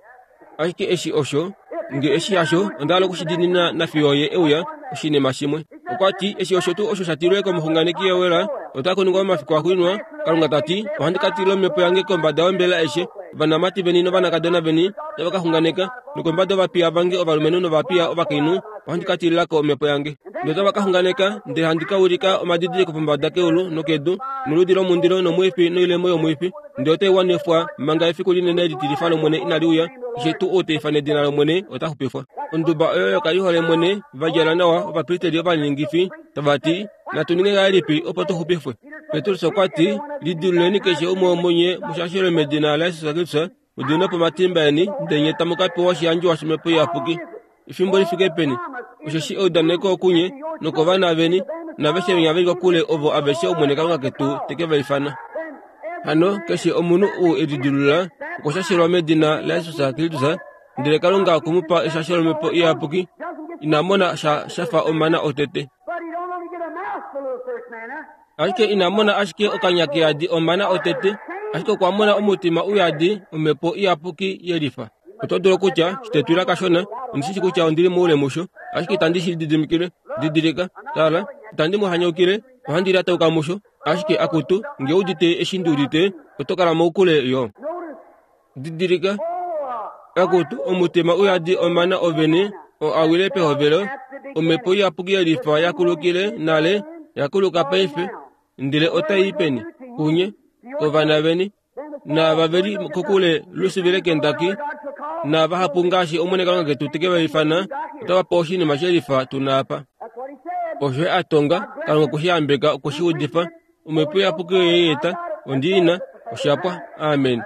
Ashike eshi osho, nge eshi hasho, onda hala okushidinina nafiyo ye euya oshinima shimwe. Okwa ti, eshi osho tuu osho sha tilwe komuxunganeki Joel, ota kuningwa momafiku axuuninwa. Kalunga ta ti, ohandi ka tila omhepo yange kombada yombela aishe, ovanamati veni novanakadona veni otava ka xunganeka, nokombada yovapiya vange ovalumenhu novapiya ovakainhu ohandi ka tilila ko omhepo yange. Ndele otava ka xunganeka, ndele handi ka ulika omadidiliko pombada keulu nokedu, noludi lomundilo nomwifi noilemo yomwifi, ndele otai wanifwa manga efiku linene litilifa lOmwene inali uya. Keshe tuu ou ta ifana edina lOmwene ota xupifwa. Onduba oyo yokalihole mwene va djala nawa ovapristeli ovaningifi tava ti, natu ninge ngahelipi opo tu xupifwe? Petrus okwa ti, lidiluleni keshe umwe womunye mushashelwe medina laJesus Kristus, mu diminwe po omatimba eni, ndele nye tamu ka pewa oshiyandjiwa shOmhepo Iyapuki. Efimbo li fike peni? Osheshi eudaneko okunye nokovana veni naaveshe venya veli kokule ovo aveshe Omwene Kalunga ketu te ke va ifana. Hano keshe omunhu ou e lidilulula okwa shashelwa medina laJesus Kristus, ndele Kalunga okwe mu pa eshasho lOmhepo Iyapuki. Ina mona sha shafa omana otete. Ashike ina mona ashike okanya keyadi omana otete, ashike okwa mona omutima uyadi Omhepo Iyapuki yelifa. Oto dulu okutya, shitetwila kashona, ondishishi kutya ondili moule musho, ashike itandi shi lididimikile. Didilika, tala, itandi mu hanyaukile, ohandi lyatauka musho, ashike akutu, nge udite eshi ndi udite, oto kala moukule yo. Didilika, akutu, omutima uyadi omana ovene, oo a wile pehovelo, Omhepo Iyapuki yelifa yakulukile nale, yakuluka paife, ndele otai i peni? Kunye, kovana veni, naava veli kokule lusivile kendaki, naavahapu ngaashi Omwene Kalunga ketu te ke va ifana, otava pewa oshinima shelifa tu na apa. Osho a tonga, Kalunga okwe shi yambeka, okwe shi udifa. Omhepo Iyapuki oye i eta, ondi i na, osha pwa. Amen.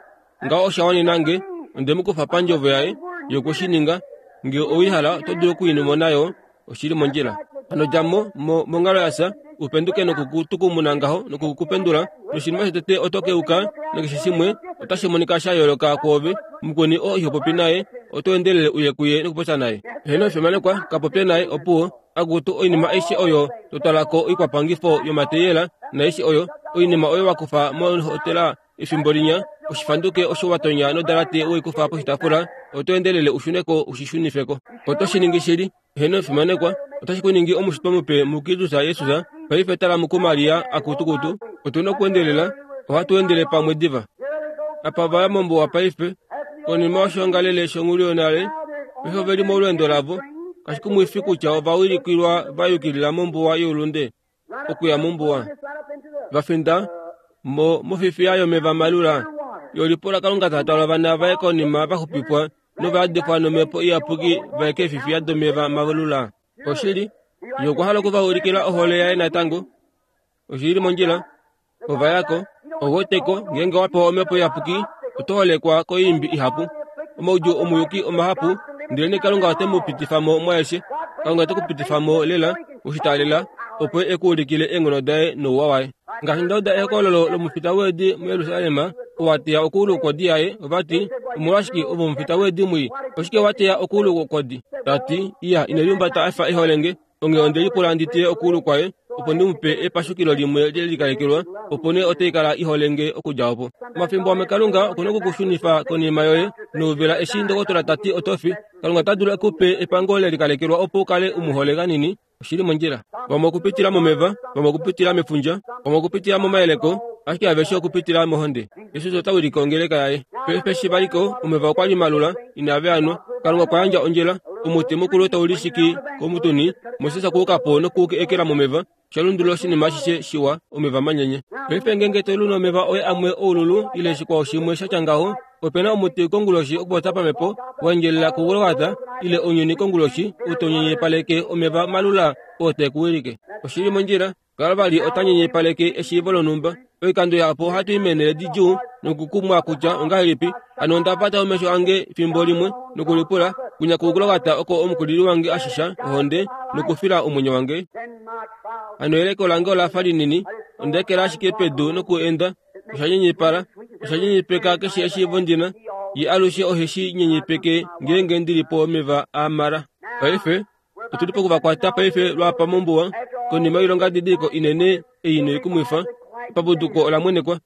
Ngaho osha wanena nge, onde mu kufa pandjovo yaye, ye okwe shi ninga. Nge owihala, oto dulu okuinumona yo, oshili mondjila. Hano dja mo, mo, monghalo ya fya, upenduke nokukutukumuna ngaho nokukupendula, noshinima shotete oto keuka, nakeshe shimwe otashi monika sha yooloka kwoove. Mukweni oo iho popi naye, oto endelele uye kuye nokupopya naye. Heeno, fimanekwa, ka popye naye opuwo. Akutu oinima aishe oyo to twala ko oikwapangifo yomateyela naaishe oyo, oinima oyo wa kufa mohotela efimbo linya, oshifanduke osho wa tonya nodalate weikufa poshitaafula, oto endelele ushune ko ushishunifeko. Oto shi ningi shili. Heeno, fimanekwa, otashi ku ningi omushitwa mupe muKristus Jesus, Paife tala mukuMaria akutukutu, otuna okuendelela, ohatu endele pamwe diva. Apa vaya mombuwa paife, konima yoshongalele shonghuluyonale, paife oveli molweendo lavo, kashikumwifi kutya ovawilikilwa va yukilila mombuwa youlunde, okuya mombuwa. Vafinda mo mofifiya yomeva malula, yolipola Kalunga ta twala ovana vaye konima vaxupifwa novayadifwa nomhepo iyapuki vaye keefifiya domeva malula. Oshili, ye okwa hala okuvaulikila ohole yaye natango. Oshili mondjila, ovayako, oweteko ngeenge wa pewa omhepo iyapuki, oto holekwa koimbi ihapu. Omaudjuu omuyuki omahapu, ndele Kalunga ote mu pitifa mo mwaeshe. Kalunga ote ku pitifa mo lela, oshitaalela, opo e ku ulikile eenghono daye nouwa waye. Ngaashi nda uda ehokololo lomufita weedi muJerusalem, owa teya okuulu kwodi yaye, ovati, omolwashike ove omufita weedi mwii? Oshike wa teya okuulu kwodi? Tati, iya, ine liumbata a fa eholenge, onghee onde lipula ndi teye okuulu kwaye, opo ndi mu pe epashukilo limwe le likalekelwa, opo nee otai kala iholenge okudja opo. Omafimbo amwe Kalunga okuna okukushunifa konima yoye nouvela eshi ndokotola tati oto fi. Kalunga ota dulu ekupe epango le likalekelwa opo u kale u mu hole kanini. Oshili mondjila. Vamwe okupitila momeva, vamwe okupitila mefundja, vamwe okupitila momayeleko, ashike aveshe okupitila mohonde. Jesus ota wilike ongeleka yaye. Paife eshi valiko, omeva okwa li malula, inave a nwa. Kalunga okwa yandja ondjila, omuti mukulu tau lishiki komutuni, Moses okwa uka po noku ekela momeva, sha lundulula oshinima ashishe shiwa, omeva manyenye. Paife ngeenge to lu nomeva oye amwe oululu ile shikwao shimwe sha tya ngaho, opena omuti konguloshi okupopya pamhepo, wa endjelela kuGolgata ile ounyuni konguloshi, ou tau nyenyepaleke omeva malula oo te ku wilike. Oshili mondjila, Kalvari ota nyenyepaleke eshiivo lonhumba. Oikando yapo ohatu i meenhele didjuu nokukumwa kutya ongahelipi. Hano onda pata omesho ange fimbo limwe nokulipula, kwinya kuGolgata oko omukulili wange a shisha ohonde nokufila omwenyo wange. Hano eleko lange ola fa linini, onda ekela ashike pedu nokuenda. Osha nyenyepala, osha nyenyepeka keshe eshiivo ndina. Ye alushe ohe shi nyenyepeke ngeenge ndili po omeva a mara. Paife otuli pokuvakwata paife lwapa mombuwa, konima yoilonga didiliko inene ei noikumwifa, epapuduko ola mwenekwa.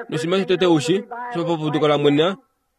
Noshinima shotete ushi, osho epapuduko la mwena,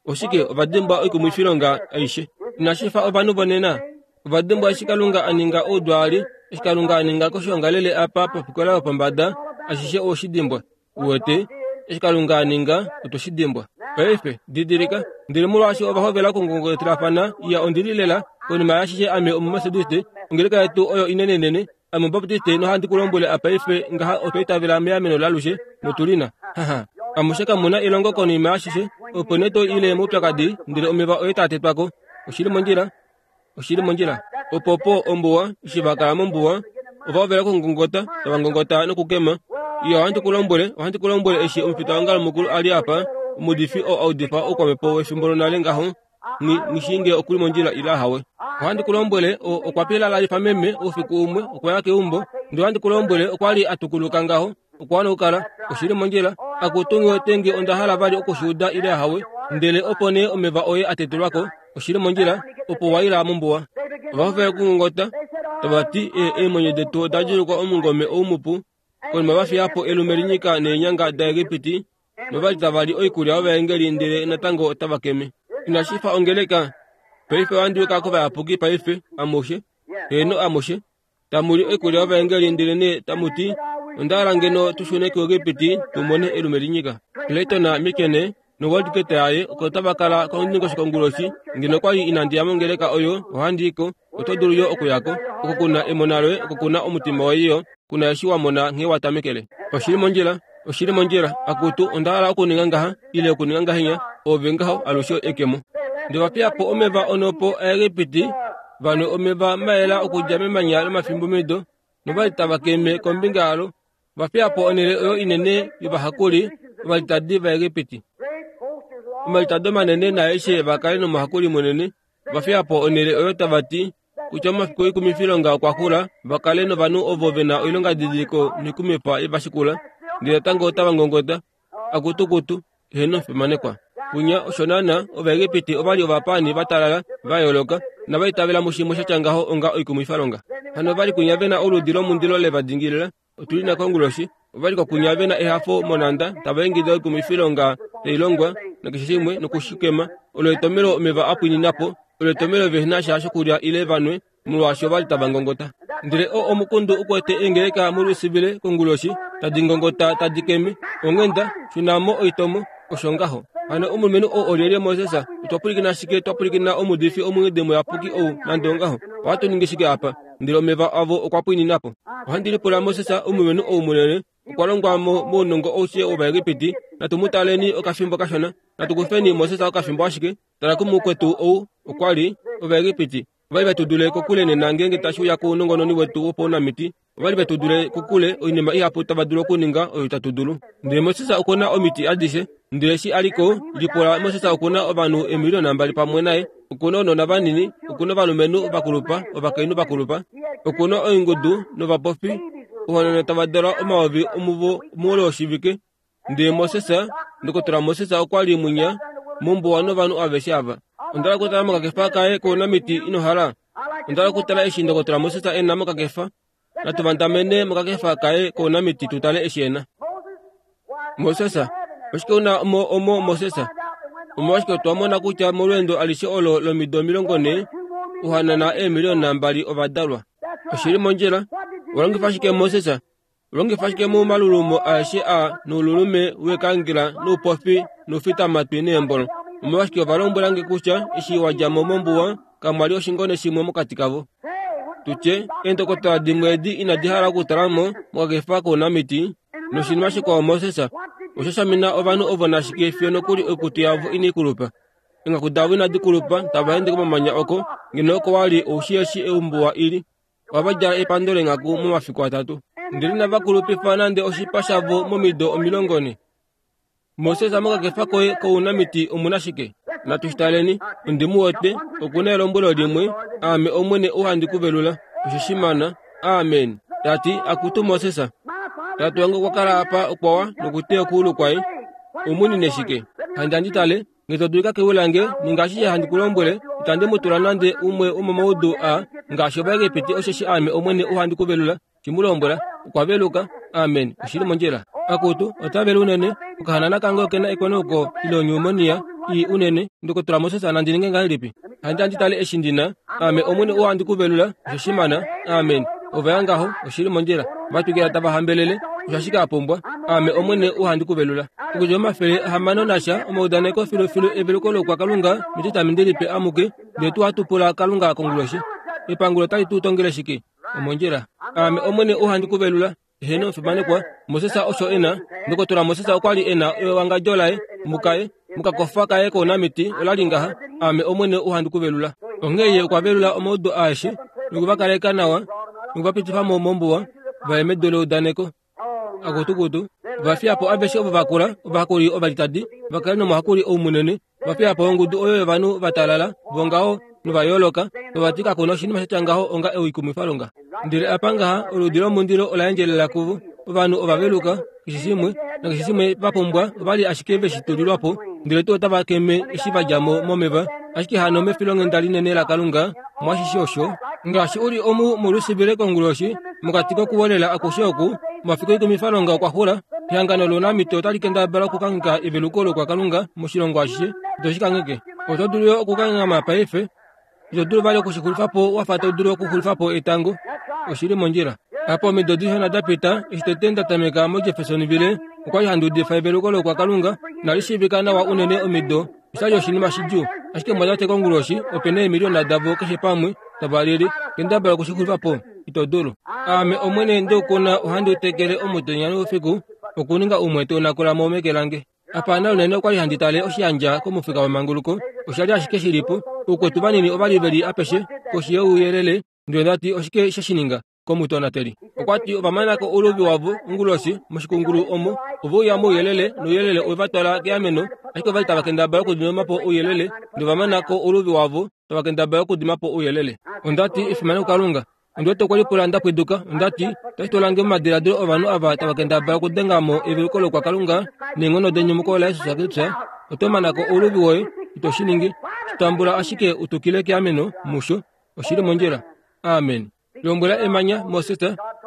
oshike ova dimbwa oikumwifilonga aishe. Inashi fa ovanhu vonena, ova dimbwa eshi Kalunga a ninga oudwaali, eshi Kalunga a ninga koshiongalele apa pofikola yopombada, ashishe oweshi dimbwa. Uwete, eshi Kalunga a ninga, otwe shi dimbwa. Paife, didilika, ndele molwaashi ova hovela okungongotelafana, iya ondi li lela, konima yaashishe ame Omumethodiste, ongeleka yetu oyo inenenene, ame Omubaptiste nohandi ku lombwele apaife ngaha otwa itavela meameno lalushe, notu li na. Haha. Amushe kamu na elongo konima yaashishe, opo nee to ile moupyakadi, ndele omeva oye taa tetwa ko. Oshili mondjila. Oshili mondjila. Opo po ombuwa, eshi va kala mombuwa, ova hovela okungongota, tava ngongota nokukema. Iya, ohandi ku lombwele, ohandi ku lombwele eshi omufitaongalo mukulu a li apa, omuudifi oo a udifa oukwamhepo wefimbo lonale ngaho, nghi nghi nge okuli mondjila ile ahawe. Ohandi ku lombwele, o, okwa pilalalifa meme oufiku umwe, okwa ya keumbo, ndele ohandi ku lombwele okwa li a tukuluka ngaho, okwa wana okukala. Oshili mondjila. Akutu nghi wete onda hala vali okushuuda ile ahawe, ndele opo nee omeva oye a tetelwa ko. Oshili mondjila, opo wa ila mombuwa. Ova hovela okungongota, tava ti, e, eemwenyo detu oda djulukwa omungome ou mupu, konima va fiya po elume linyika neenyanga daEgipiti, novali tava li oikulya yovaengeli ndele natango otava keme. Inashi fa ongeleka. Paife ohandi uka kovayapuki paife, amushe. Heeno amushe. Tamu li oikulya yovaengeli ndele nee tamu ti, onda hala ngeno tu shune kuEgipiti tu mone elume linyika. Clayton Mikene nowaldgate yaye oko tava kala kondingosho konguloshi, ngeno kwa li inandi ya mongeleka oyo, ohandi i ko. Oto dulu yo okuya ko. Oko kuna emona loye, oko kuna omutima woye yo, kuna eshi wa mona nghee wa tamekele. Oshili mondjila, oshili mondjila, akutu onda hala okuninga ngaha, ile okuninga ngahenya, ove ngaho alushe ekemo. Ndele va fiya po omeva onopo aEgipiti, vanwe omeva mayela okudja memanya lomafimbomido, novali tava keme kombinga yalo, va fiya po onhele oyo inene yovahakuli ovalitadi vaEgipiti. Omalitado manene naaeshe va kale nomuhakuli munene, va fiya po onhele oyo tava ti kutya omafiku oikumifilonga okwa xula, va kale novanhu ovo ve na oilongadidiliko noikumwifa ye va shikula, ndele natango otava ngongota, akutukutu, heeno fimanekwa. Kunya osho naana Ovaegipiti ova li ovapaani va talala, va yooloka, nava itavela mushimwe sha tya ngaho onga oikumwifalonga. Hano ova li kunya ve na oludi lomundilo le va dingilila, otu li na konguloshi, ova li kokunya ve na ehafo monhanda, tava ingida oikumwifilonga tai longwa, nakeshe shimwe nokushikema. Olo etomelo omeva a pwinina po, olo etomelo vehe na sha shokulya ile vanwe, molwaashi ova li tava ngongota. Ndele o omukundu ukwete eengeleka muLouisville konguloshi tadi ngongota tadi keme onghenda shunamo oitomo osho ngaho. Hano omulumenhu ou olyelye Moses? Otwa pwilikina shike? Twa pwilikina omuudifi omunghedi muyapuki ou nande ongaho. Ohatu ningi shike apa? Ndele omeva avo okwa pwinina po. Ohandi lipula Moses, omulumenhu ou munene, okwa longwa mo mounongo aushe wOvaegipiti. Natu mu taleni okafimbo kashona. Natu kufeni Moses okafimbo ashike. Tala kumukwetu ou okwa li Ovaegipiti. Ovali vetu dule kokule nena ngeenge tashi uya kounongononi wetu wopaunamiti. Ovali vetu dule kokule oinima ihapu tava dulu okuninga oyo itatu dulu. Ndele Moses okuna omiti adishe. Ndele eshi a liko, lipula Moses okuna ovanhu eemiliona mbali pamwe naye. Okuna ounona vanini, okuna ovalumenhu vakulupa, ovakainhu vakulupa, okuna oingudu novapofi, ohanana tava dalwa omayovi omuvo moule woshivike. Ndele Moses, Ndokotola Moses okwa li mwinya mombuwa novanhu aveshe ava. Onda hala okutala mokakefa kaye kounamiti ino hala? Onda hala okutala eshi Ndokotola Moses e na mokakefa. Natu vandamene mokakefa kaye kounamiti tu tale eshi e na. Moses, oshike una omo omo Moses? Omolwashike otwa mona kutya molweendo alishe olo lomido omilongo nhee, ohanana eemiliona mbali ova dalwa. Oshili mondjila. Walongifa shike Moses? Longifa shike momalulumo aeshe a noululume wekangela noupofi noufitamatwi neembolo? Omolwashike ova lombwela nge kutya eshi wa dja mo mombuwa kamwa li oshingone shimwe mokati kavo? Tutye eendokotola dimwe edi inadi hala okutala mo mokakefa kounamiti. Noshinima shikwao Moses osha shamina ovanhu ovo nashike fiyo nokuli oikutu yavo inai kulupa. Eenghaku davo inadi kulupa tava ende komamanya oko ngeno oko wali oushi eshi ombuwa ili. Ohava djala epando leenghaku momafiku atatu. Ndele inava kulupifa nande oshipa shavo momido omilongo nhe. Moses mokakefa koye kounamiti omuna shike? Natu shi taleni. Ondi mu wete, okuna elombwelo limwe, aame Omwene ou handi ku velula. Osho shimana. Amen. Tati, akutu Moses, tate wange okwa kala apa okwawa nokuteya okuulu kwaye. Omunine shike? Handi handi tale, nge to dulika kewi lange, ninga ashishe handi ku lombwele, itandi mu tula nande umwe womomaudu a ngaashi Ovaegipiti, osheshi aame Omwene ou handi ku velula. Shi mu lombwela, okwa veluka. Amen. Oshili mondjila. Akutu, ota vele unene. Okahanana kange okena ekweneuko ile onyumonia ii unene. Ndokotola Moses nandi ninge ngahelipi? Handi handi tale eshi ndi na. Aame Omwene ou handi ku velula. Osho shimana. Amen. Ova ya ngaho. Oshili mondjila. Va twikila tava hambelele. Osho ashike a pumbwa. Aame Omwene ou handi ku velula. Okudja omafele ahamano nasha omaudaneko filufilu eveluko loukwakalunga metitamente lipe amuke, ndele tuu hatu pula Kalunga konguloshi. Epangulo otali tu tongele shike? Omondjila. Aame Omwene ou handi ku velula. Eheno fimanekwa. Moses osho e na. Ndokotola Moses okwa li e na ewangadjo laye mukaye mukakofa kaye kounamiti ola li ngaha. Aame Omwene ou handi ku velula. Onghee ye okwa velula omaudu aeshe nokuvakaleka nawa nokuvapitifa mo mombuwa va ye medu leudaneko. Akutukutu va fiya po aveshe ovo vakula, ovahakuli ovalitadi va kale nomuhakuli ou munene. Va fiya po ongudu oyo yovanhu va talala vongaho nova yooloka, nova ti kakuna oshinima sha tya ngaho onga oikumwifalonga. Ndele apa ngaha oludi lomundilo ola endjelela kuvo. Ovanhu ova veluka keshe shimwe nakeshe shimwe va pumbwa ova li ashike ve shi tulilwa po, ndele tuu otava keme eshi va dja mo momeva. Ashike hano mefilonghenda linene laKalunga mwashishe osho, ngaashi u li omu muLouisville konguloshi, mokati kokuwelela akushe oku, omafiku oikumwifalonga okwa xula. Ehangano lounamiti otali kendabala okukangheka eveluko lokwakalunga moshilongo ashishe. Ito shi kangheke. Oto dulu yo okukanghama paife. Ito dulu vali okushixulifa po wa fa to dulu okuxulifa po etango. Oshili mondjila. Apa omido dishona da pita, eshi tete nda tameka moJeffersonville, okwa li handi udifa eveluko lokwakalunga, nali shiivika nawa unene omido. Osha li oshinima shidjuu. Ashike mwatate konguloshi, ope na eemiliona davo keshe pamwe tava lili. Kendabala okushixulifa po. Ito dulu. Aame Omwene ndeukuna ohandi utekele omutenya noufiku, okuninga umwe te unakula mo meke lange. Apa na unene okwa li handi tale oshiyandja komufika wemanguluko. Osha li ashike shi li po. Oukwetu vanini ova li ve li apeshe koshi youyelele. Ndele nda ti oshike she shi ninga komutonateli. Okwa ti ova mana ko ouluvi wavo onguloshi moshikungulu omo. Ove uya mouyelele nouyelele owe va twala keameno, ashike ova li tava kendabala okudima po ouyelele. Ndele ova mana ko ouluvi wavo tava kendabala okudima po ouyelele. Onda ti efimano kuKalunga. Ondi wete okwe lipula nda pwiduka. Onda ti otashi twala nge momadiladilo ovanhu ava tava kendabala okudenga mo eveluko lokwakalunga neenghono denyumuko laJesus Kristus. Oto mana ko ouluvi woye, ito shi ningi. Shi tambula ashike u tukile keameno musho. Oshili mondjila. Amen. Lombwela emanya Moses,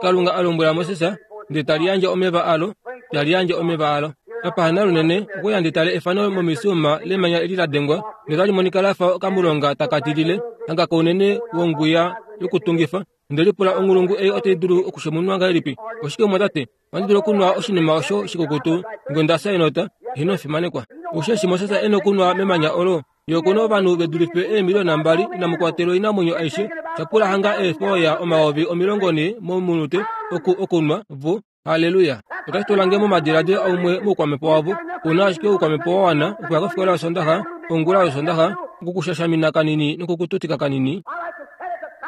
Kalunga a lombwela Moses, ndele tali yandje omeva alo, tali yandje omeva alo. Apa lunene okwe ya ndi tale efano momisiuma lemanya eli la dengwa notali monika lafa okamulonga takatilile hanga kounene wonguya yokutungifa. Onde lipula onghulungu ei otai dulu okushemunwa ngahelipi? Oshike mwatate? Ohandi dulu okunwa oshinima osho shikukutu nge onda fya enota? Ino fimanekwa. Osheshi Moses e nokunwa memanya olo. Ye okuna ovanhu ve dulife eemiliona mbali inamu kwatelwa oinamwenyo aishe. Shapula hanga eefoya omayovi omilongo nhee momunute oku okunwa vo. Haleluya. Otashi tula nge momadiladilo aumwe moukwamhepo wavo. Una ashike oukwamhepo wa wana okuya kofikola yosondaxa, ongula yosondaxa, okukushashamina kanini nokukututika kanini.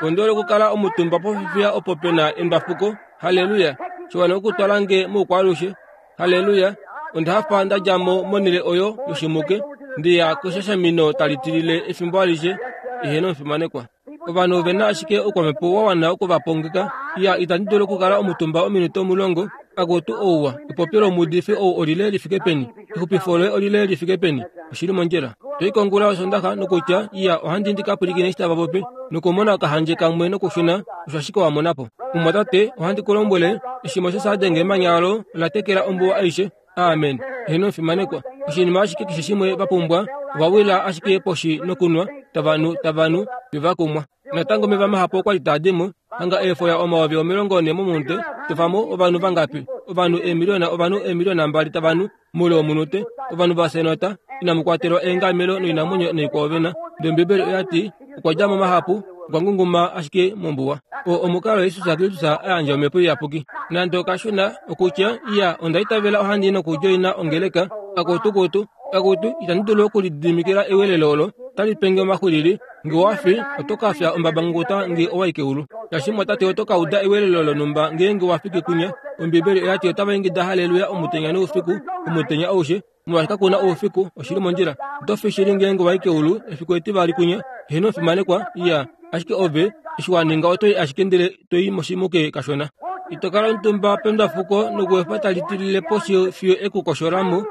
Onde okukala omutumba pofifiya opo pena endwafuko. Haleluya. Shiwana okutwala nge moukwaalushe. Haleluya. Onda hafa nda dja mo monhele oyo yoshimuke ndiya keshashamino tali tilile efimbo alishe. Eheno omufimanekwa. Ovanhu ovena ashike oukwamhepo wa wana okuvapongeka. Iya, itandi dulu okukala omutumba ominute omulongo. Akutu ouwa. Epopyo lomuudifi ou olile lifike peni? Exupifo loye olile lifike peni? Oshili mondjila. Toi kongula yosondaxa nokutya iya ohandi ndi ka pwilikine eshi tava popi nokumona okahandje kamwe nokushuna osho ashike wa mona po. Mumwatate, ohandi ku lombwele, eshi Moses a denga emanya olo ola tekela ombuwa aishe. Amen. Eheno omufimanekwa. Oshinima ashike keshe shimwe va pumbwa, ova wila ashike poshi nokunwa, tava nu, tava nu, fiyo va kumwa. Natango omeva mahapu okwa li taa di mo, hanga eefoya omayovi omilongo nhee momunute, tofamo ovanhu vangapi? Ovanhu eemiliona, ovanhu eemiliona mbali tava nu moule womunute. Ovanhu va fya inamu kwatelwa eengamelo noinamwenyo noikwao vena. Ndele Ombibeli oya ti, okwa dja mo mahapu, okwa ngunguma ashike mombuwa. Oo omukalo Jesus Kristus a yandja omhepo iyapuki. Nande okashona okutya iya onda itavela ohandi nokudjoina ongeleka, akutukutu, akutu itandi dulu okulididimikila ewelelo olo tali penge omaxwilili. Nge owa fi, oto ka fya ombabanguta nge owa i keulu. Shaashi mwatate oto ka uda ewelelo lonhumba ngeenge wa fiki kunya. Ombibeli oya ti otava ingida haleluya omutenya noufiku, omutenya aushe, molwaashi kakuna oufiku. Oshili mondjila. Oto fi shili ngeenge wa i keulu efiku etivali kunya. Eheno omufimanekwa. Iya, ashike ove eshi wa ninga oto i ashike ndele to i moshimuke kashona. Ito kala omutumba pendwafuko nokuefa tali tilile poshi fiyo ekukoshola mo.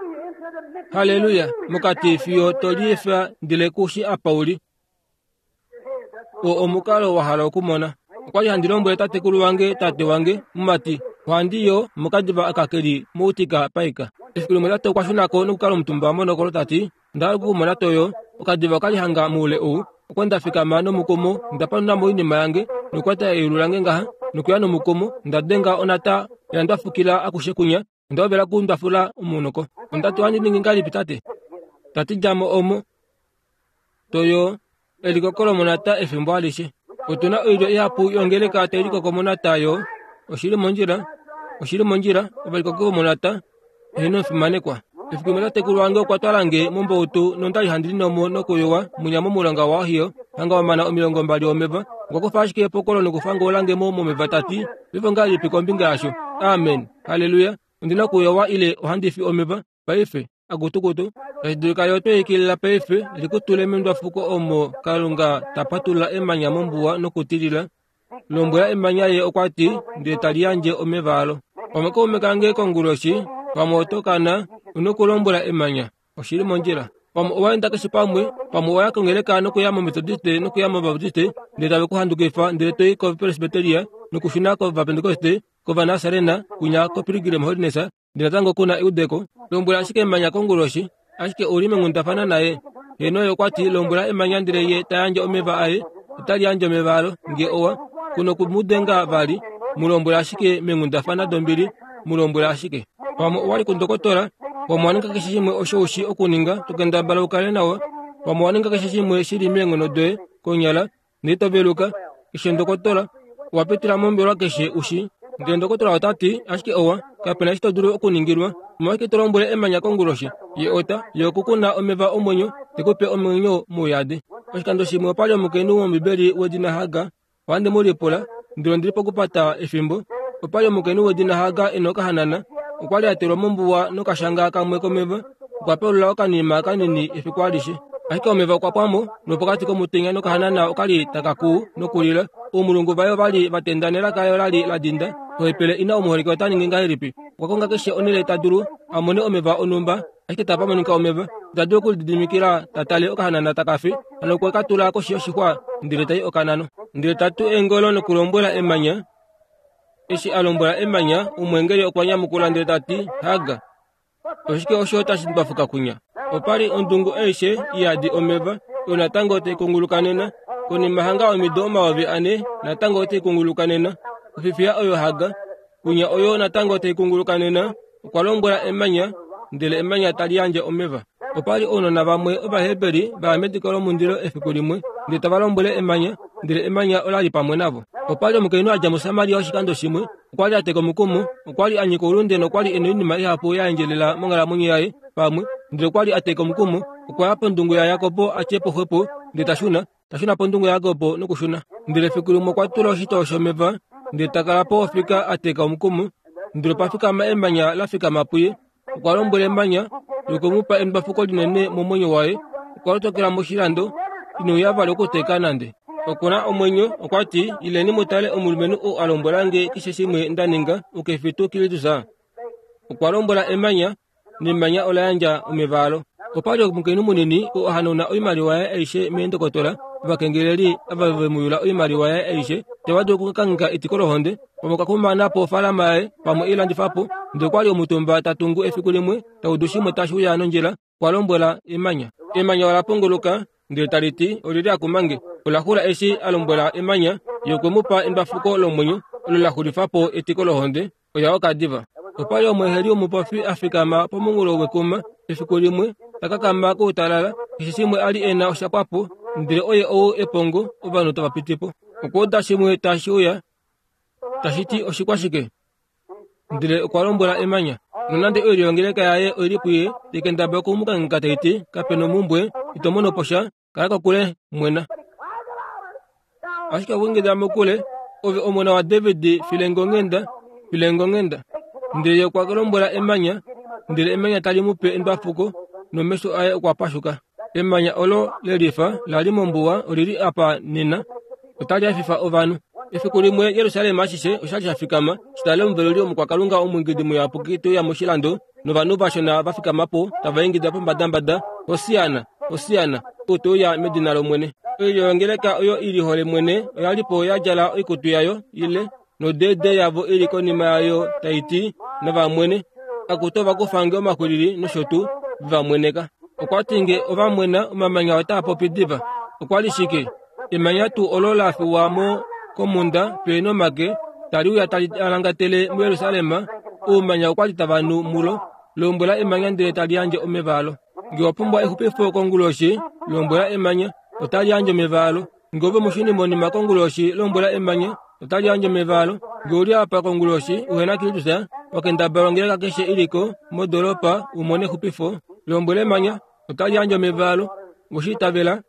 Haleluya. Mokati fiyo to liefa ndele kushi apa uli. O omukalo wa hala okumona. Okwali handi lombwele tatekulu wange, tate wange, mumati, ohandi yo mokadiva aka keli moutika paika. Efiku limwe tate okwa shunako nokukala omutumba monokolo tati, onda hala okukumona toyo. Okadiva okali hanga moule ou. Okwa nda fikama nomukumo, nda panuna mo oinima yange, nokukwata eyulu lange ngaha, nokuya nomukumo, nda denga onata ya ndwafukila akushe kunya, onda hovela okundwafula omunoko. Onda ti ohandi ningi ngahelipi tate? Tati dja mo omo. Toyo elikoko lomonata efimbo alishe. Otuna oilyo ihapu yongeleka tai likoko monata yo. Oshili mondjila, oshili mondjila, ovalikoko vomonata. Eheno omufimanekwa. Efiku limwe tatekulu wange okwa twala nge mombautu nondali handi linomo nokuyowa munya momulonga waOhio, hanga wamana omilongo mbali omeva. Okwa kufa ashike epokolo nokufangoula nge mo momeva tati, paife ngahelipi kombinga yasho? Amen. Haleluya. Ondina okuyowa ile ohandi fi omeva. Paife, akutukutu. Tashi dulika yo tweikilila paife likutule mendwafuko omo Kalunga ta patulula emanya mombuwa nokutilila. Lombwela emanya ye okwa ti, ndele tali yandje omeva alo. Pamwe kaume kange konguloshi, pamwe oto kana, una okulombwela emanya. Oshili mondjila. Pamwe owa enda keshe pamwe, pamwe owa ya kongeleka nokuya moMetodiste nokuya mObaptiste, ndele tave ku handukifa ndele toi koPresbyteria nokushuna kOvapentekoste, kOvanasarena, kunya koPilgrim Holiness, ndele natango kuna eudeko. Lombwela ashike emanya konguloshi, ashike ouli menghundafana naye. Heno ye okwa ti, lombwela emanya ndele ye ta yandje omeva aye, otali yandje omeva alo. Nge owa kuna okumudenga vali, mu lombwela ashike menghundafana dombili, mu lombwela ashike. Pamwe owa li kundokotola, pamwe owa ninga keshe shimwe osho ushi okuninga, to kendabala u kale nawa. Pamwe owa ninga keshe shimwe shili meenghono doye konyala, ndele to veluka. Keshe ndokotola owa pitila mombelwa keshe ushi. Ndele ndokotola ota ti, ashike owa, kapena eshi to dulu okuningilwa. Omolwashike to lombwele emanya konguloshi? Ye ota, ye okukuna omeva omwenyo, te ku pe omwenyo mouyadi. Oshikando shimwe opali omukainhu wOmbibeli wedina Hagar. Ohandi mu lipula, ndele ondili pokupata efimbo. Opali omukainhu wedina Hagar e na okahanana. Okwa li a telwa mombuwa nokashanga kamwe komeva. Okwa pelula okanima kanini efiku alishe. Ashike omeva okwa pwa mo, nopokati komutenya nokahanana okali taka kuu nokulila. Oumulungu vaye ovali va tenda nelaka yo lali la dinda. Ohepele ina omuholike ota ningi ngahelipi? Okwa konga keshe onhele ta dulu a mone omeva onhumba, ashike tapa monika omeva. Ita dulu okulididimikila ta tale okahanana taka fi, hano okwe ka tula koshi yoshixwa ndele tai okanano. Ndele ta tu eengolo nokulombwela emanya. Eshi a lombwela emanya, omweengeli okwa nyamukula ndele ta ti, Hagar, Oshike osho tashi ndwafuka kunya? Opali ondungu aishe iyadi omeva, oyo natango tai kunguluka nena. Konima hanga omido omayovi ane, natango otai kunguluka nena. Ofifiya oyo haga, kunya oyo natango tai kunguluka nena. Okwa lombwela emanya, ndele emanya tali yandje omeva. Opali ounona vamwe Ovaheberi vaya mediko lomundilo efiku limwe, ndele tava lombwele emanya, ndele emanya ola li pamwe navo. Opali omukainhu a dja muSamaria oshikando shimwe, okwa li a teka omukumo, okwa li a nyika oulunde nokwa li e na oinima ihapu ya endjelela monghalamwenyo yaye pamwe, ndele okwa li a teka omukumo. Okwa ya pondungu yaJakob a tye po xwepo, ndele ta shuna, ta shuna pondungu yaJakob nokushuna. Ndele efiku limwe okwa tula oshitoo shomeva, ndele ta kala po ofika a teka omukumo, ndele opa fikama emanya la fikama puye. Okwa lombwela emanya, lokwe mu pa endwafuko linene momwenyo waye. Okwa lotokela moshilando, ine uya vali okuteka nande. Okuna omwenyo, okwa ti, ileni mu tale omulumenhu oo a lombwela nge keshe shimwe nda ninga, ukefi tuu Kristus. Okwa lombwela emanya, nemanya ola yandja omeva alo. Opali omukainhu munini oo a hanauna oimaliwa yaye aishe meendokotola, ovakengeleli ava ve mu yula oimaliwa yaye aishe, tava dulu okukangheka etiko lohonde, pamwe okwa kumana po ofaalama yaye, pamwe e i landifa po. Ndele okwa li omutumba ta tungu efiku limwe, ta udu shimwe tashi uya nondjila, okwa lombwela emanya. Emanya ola pongoloka, ndele tali ti, olili a kumange. Ola xula eshi a lombwela emanya, ye okwe mu pa endwafuko lomwenyo, olo la xulifa po etiko lohonde, oya oka diva. Opali omweeheli womupofi a fikama pomunghulo wekuma efiku limwe, ta kakama koutalala, keshe shimwe a li e na osha pwa po, ndele oye ou epongo, ovanhu tava piti po. Okwa uda shimwe tashi uya, tashi ti oshikwashike? Ndele okwa lombwela emanya. Nonande oilyo yongeleka yaye oili puye, tekendaba oku mu kangheka tai ti, kape nomumbwe, ito mono po sha, kala kokule, mwena. Ashike okwa ingida mokule, ove omona waDavid, file nge onghenda, file nge onghenda. Ndele ye okwa lombwela emanya, ndele emanya tali mu pe endwafuko, nomesho aye okwa pashuka. Emanya olo lelifa la li mombuwa olili apa nena, otali hafifa ovanhu. Efiku limwe Jerusalem ashishe osha li sha fikama, shi tale omuveluli omukwakalunga omwiingidi muyapuki te uya moshilando, novanhu vashona va fikama po tava ingida pombadambada, Hosiana, Hosiana, ou te uya medina lOmwene. Oilyo yongeleka oyo i lihole mwene oya li po ya djala oikutu yayo ile, nodede yavo ili konima yayo tai ti, navamwene, akutu ova kufa nge omaxwilili nosho tuu, va mweneka. Okwa ti nge ova mwena, omamanya otaa popi diva. Okwa li shike? Emanya tuu olo la fiwa mo komhunda pe nomake, tali uya tali alangatele muJerusalem, oumanya okwa li tava nu mulo. Lombwela emanya ndele tali yandje omeva alo. Nge wa pumbwa exupifo konguloshi, lombwela emanya, otali yandje omeva alo. Nge ove mushunimonima konguloshi, lombwela emanya, otali yandje omeva alo. Nge uli apa konguloshi, uhena Kristus, wakendabala ongeleka keshe iliko modolopa u mone exupifo, lombwela emanya, otali yandje omeva alo. Oshiitavela.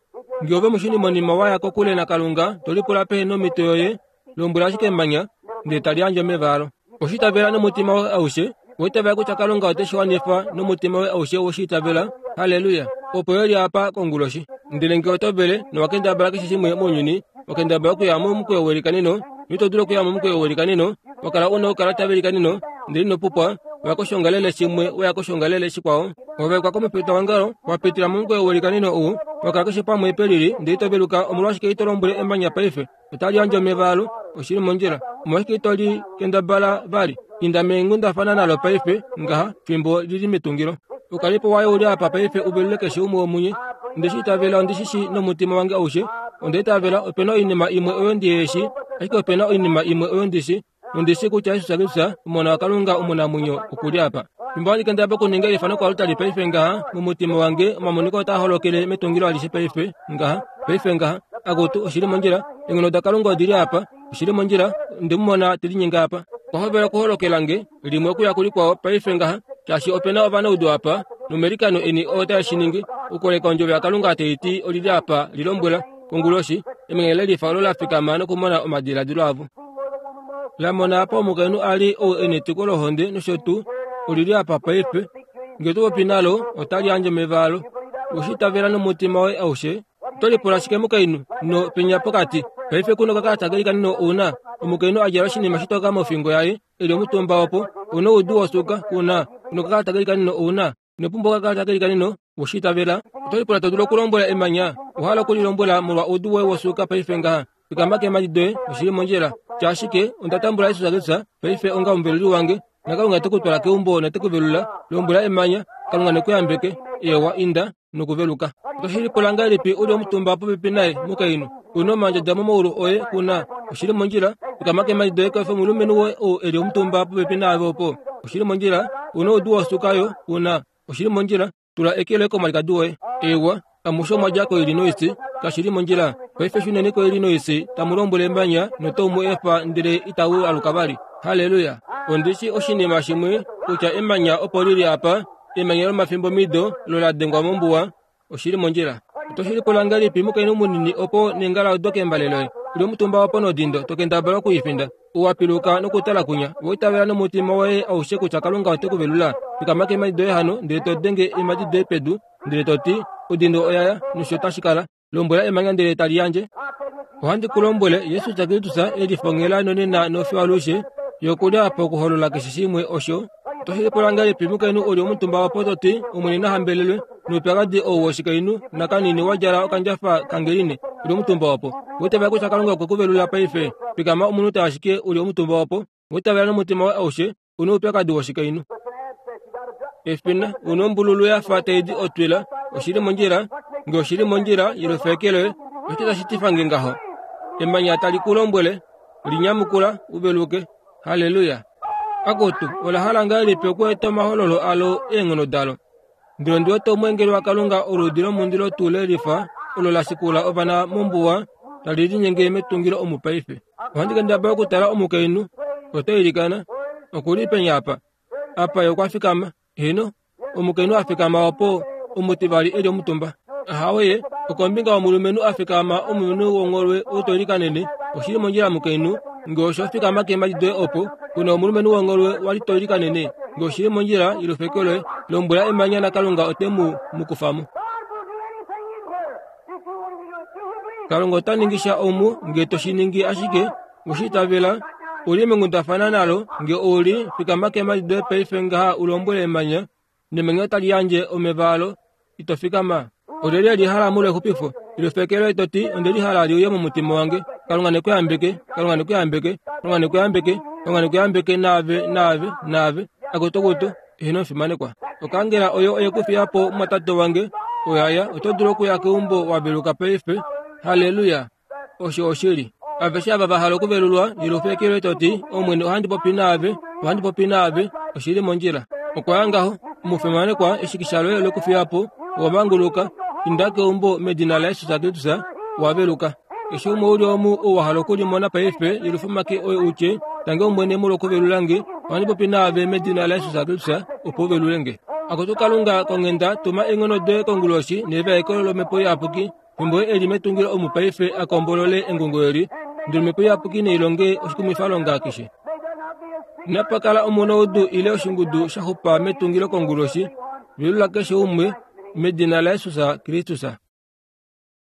Nge ove mushunimonima waya kokule naKalunga, to lipula pehe nomito yoye, lombwela ashike emanya, ndele tali yandje omeva alo. Oshiitavela nomutima woye aushe, oitavela kutya Kalunga ote shi wanifa nomutima woye aushe woshiitavela. Halleluya! Opo yo li apa konguloshi. Ndele nge oto vele nowakendabala keshe shimwe mounyuni, wakendabala okuya momukweyo welikaneno, noito dulu okuya momukweyo welikaneno, wakala una oukalata velikaneno, ndele ino pupwa, waya koshongalele shimwe, waya koshongalele shikwao, wavaekwa komufita wongalo, wapitila momukweyo welikaneno ou, wakala keshe pamwe pelili, ndele ito veluka. Omolwashike ito lombwele emanya paife? Otali yandje omeva alo, oshili mondjila. Omolwashike ito li kendabala vali? Inda meenghundafana nalo paife ngaha, fimbo lili metungilo. Okalipo waye uli apa paife u velule keshe umwe womunye. Onde shi itavela, ondi shi shii nomutima wange aushe. Onda itavela opena oinima imwe oyo ndihe shi, ashike opena oinima imwe oyo ndi shi. Nondi shi kutya Jesus Kristus, Omona waKalunga omunamwenyo, oku li apa. Fimbo handi kendabala okuninga eifano koaltari paife ngaha, momutima wange omamoniko otaa holokele metungilo alishe paife ngaha, paife ngaha. Akutu, oshili mondjila, eenghono daKalunga odi li apa, oshili mondjila, onde mu mona te linyenge apa. Okwa hovela okuholokela nge, limwe okuya kulikwao paife ngaha, shaashi opena ovanaudu apa, nomelikano eni otae shi ningi, okukoleka ondjovo yaKalunga tai ti olili apa, li lombwela, konguloshi, emanya lelifa olo la fikama nokumona omadiladilo avo. La mona apa omukainhu a li ou e netiko lohonde nosho tuu, olili apa paife. Nge oto popi nalo, otali yandje omeva alo. Oshiitavela nomutima woye aushe. Oto lipula shike mukainhu no penya pokati? Paife kuno okakalata kelikaneno ouna omukainhu a djala oshinima shitoka mofingo yaye, e li omutumba opo, ouna oudu wosuuka, kuna kuno okakalata kelikaneno ouna ino pumbwa okakalata kelikaneno, oshiitavela. Oto lipula to dulu okulombwela emanya, owa hala okulilombwela molwa oudu woye wosuuka paife ngaha. Fikama keemhadi doye, oshili mondjila. Tya ashike, onda tambula Jesus Kristus paife onga omuveluli wange. Nakalunga te ku twala keumbo note ku velula. Lombwela emanya, Kalunga ne ku yambeke. Ewa, inda nokuveluka. Otoshi lipula ngahelipi u li omutumba popepi naye, mukainhu? Una omandjadja momaulu oye kuna. Oshili mondjila, fikama keemhadi doye kwafa omulumenhu woye ou e li omutumba popepi naave opo. Oshili mondjila, una oudu wosuka yo kuna. Oshili mondjila, tula eke loye komwalikadi woye. Ewa, amushe omwa dja koIllinois, kashili mondjila. Paife shuneni koIllinois, tamu lombwele emanya notau mu efa ndele itau aluka vali. Halleluya! Ondi shi oshinima shimwe kutya emanya opo lili apa, emanya lomafimbomido lo la dengwa mombuwa. Oshili mondjila. Otoshi lipula ngahelipi mukainhu munini opo nengala odo kembale loye? Uli omutumba opo nodindo, to kendabala okuifinda. Owapiluka nokutala kunya. Owa itavela nomutima woye aushe kutya Kalunga ote ku velula. Fikama keemhadi doye hano, ndele to denge eemhadi doye pedu, ndele to ti, odindo oyaya, nosho tashi kala. Lombwela emanya ndele tali yandje. Ohandi ku lombwele, Jesus Kristus e lifongela nonena nofiyo alushe, yokuli apa okuholola keshe shimwe osho. Otoshi lipula ngahelipi mukainhu uli omutumba opo to ti, Omwene na hambelelwe, noupyakadi ou woshikainhu nakanini wa djala okandjafa kangeline, uli omutumba opo. Owa itavela kutya Kalunga okwe ku velula paife. Fikama omunute ashike uli omutumba opo. Owa itavela nomutima woye aushe, una oupyakadi woshikainhu. Efina, una ombululu ya fa tai di otwila, oshili mondjila, nge oshili mondjila, yelufa eke loye, oshike tashi tifa nge ngaho? Emanya tali ku lombwele, linyamukula, u veluke. Halleluya! Akutu, ola hala ngahelipi okueta omahololo alo eenghono dalo? Ndele ondi wete omweengeli waKalunga oludi lomundilo tuu le lifa, olo la shikula ovana mombuwa, tali linyenge metungilo omu paife. Ohandi kendabala okutala omukainhu, oto ilikana, oku li penya apa. Apa ye okwa fikama, heeno, omukainhu a fikama opo, omutivali e li omutumba. Ahawe, okombinga yomulumenhu a fikama omulumenhu wongholwe ou to ilikanene, oshili mondjila mukainhu, nge osho fikama keemhadi doye opo, kuna omulumenhu wongholwe wali to ilikanene, nge oshili mondjila yelufeke loye, lombwela emanya naKalunga ote mu mu kufa mo. Kalunga ota ningi sha omu nge to shi ningi ashike, we shi itavela, u li mengundafana nalo, nge ou li, fikama keemhadi doye paife ngaha u lombwele emanya, nemanya otali yandje omeva alo, ito fikama. Olyelye li hala molwa exupifo? Elufeke loye to ti, onde li hala li uye momutima wange. Kalunga ne ku yambeke, Kalunga ne ku yambeke, Kalunga ne ku yambeke, Kalunga ne ku yambeke naave, naave, naave. Akutukutu, eheno omufimanekwa. Okangela oyo oye ku fiya po mumwatate wange, oyaya, oto dulu okuya keumbo wa veluka paife. Halleluya! Osho oshili. Aveshe ava va hala okuvelulwa, yelufeke loye to ti, Omwene ohandi popi naave, ohandi popi naave, oshili mondjila. Okwa ya ngaho, omufimanekwa, eshikisha loye ole ku fiya po, owa manguluka, inda keumbo medina laJesus Kristus, owa veluka. Keshe umwe uli omu ou wa hala okulimona paife, yelufa omake oye u tye, Tange Omwene molwokuvelula nge, ohandi popi naave medina laJesus Kristus, opo u velule nge. Akutu Kalunga konghenda, tuma eenghono doye konguloshi nevaeko lOmhepo Iyapuki, fimbo ye e li metungilo omu paife a kombolole engungo eli, ndele Omhepo Iyapuki nei longe oshikumwifalonga keshe. Inapa kala omunoudu ile oshingudu sha xupa metungilo konguloshi, velula keshe umwe, medina laJesus Kristus.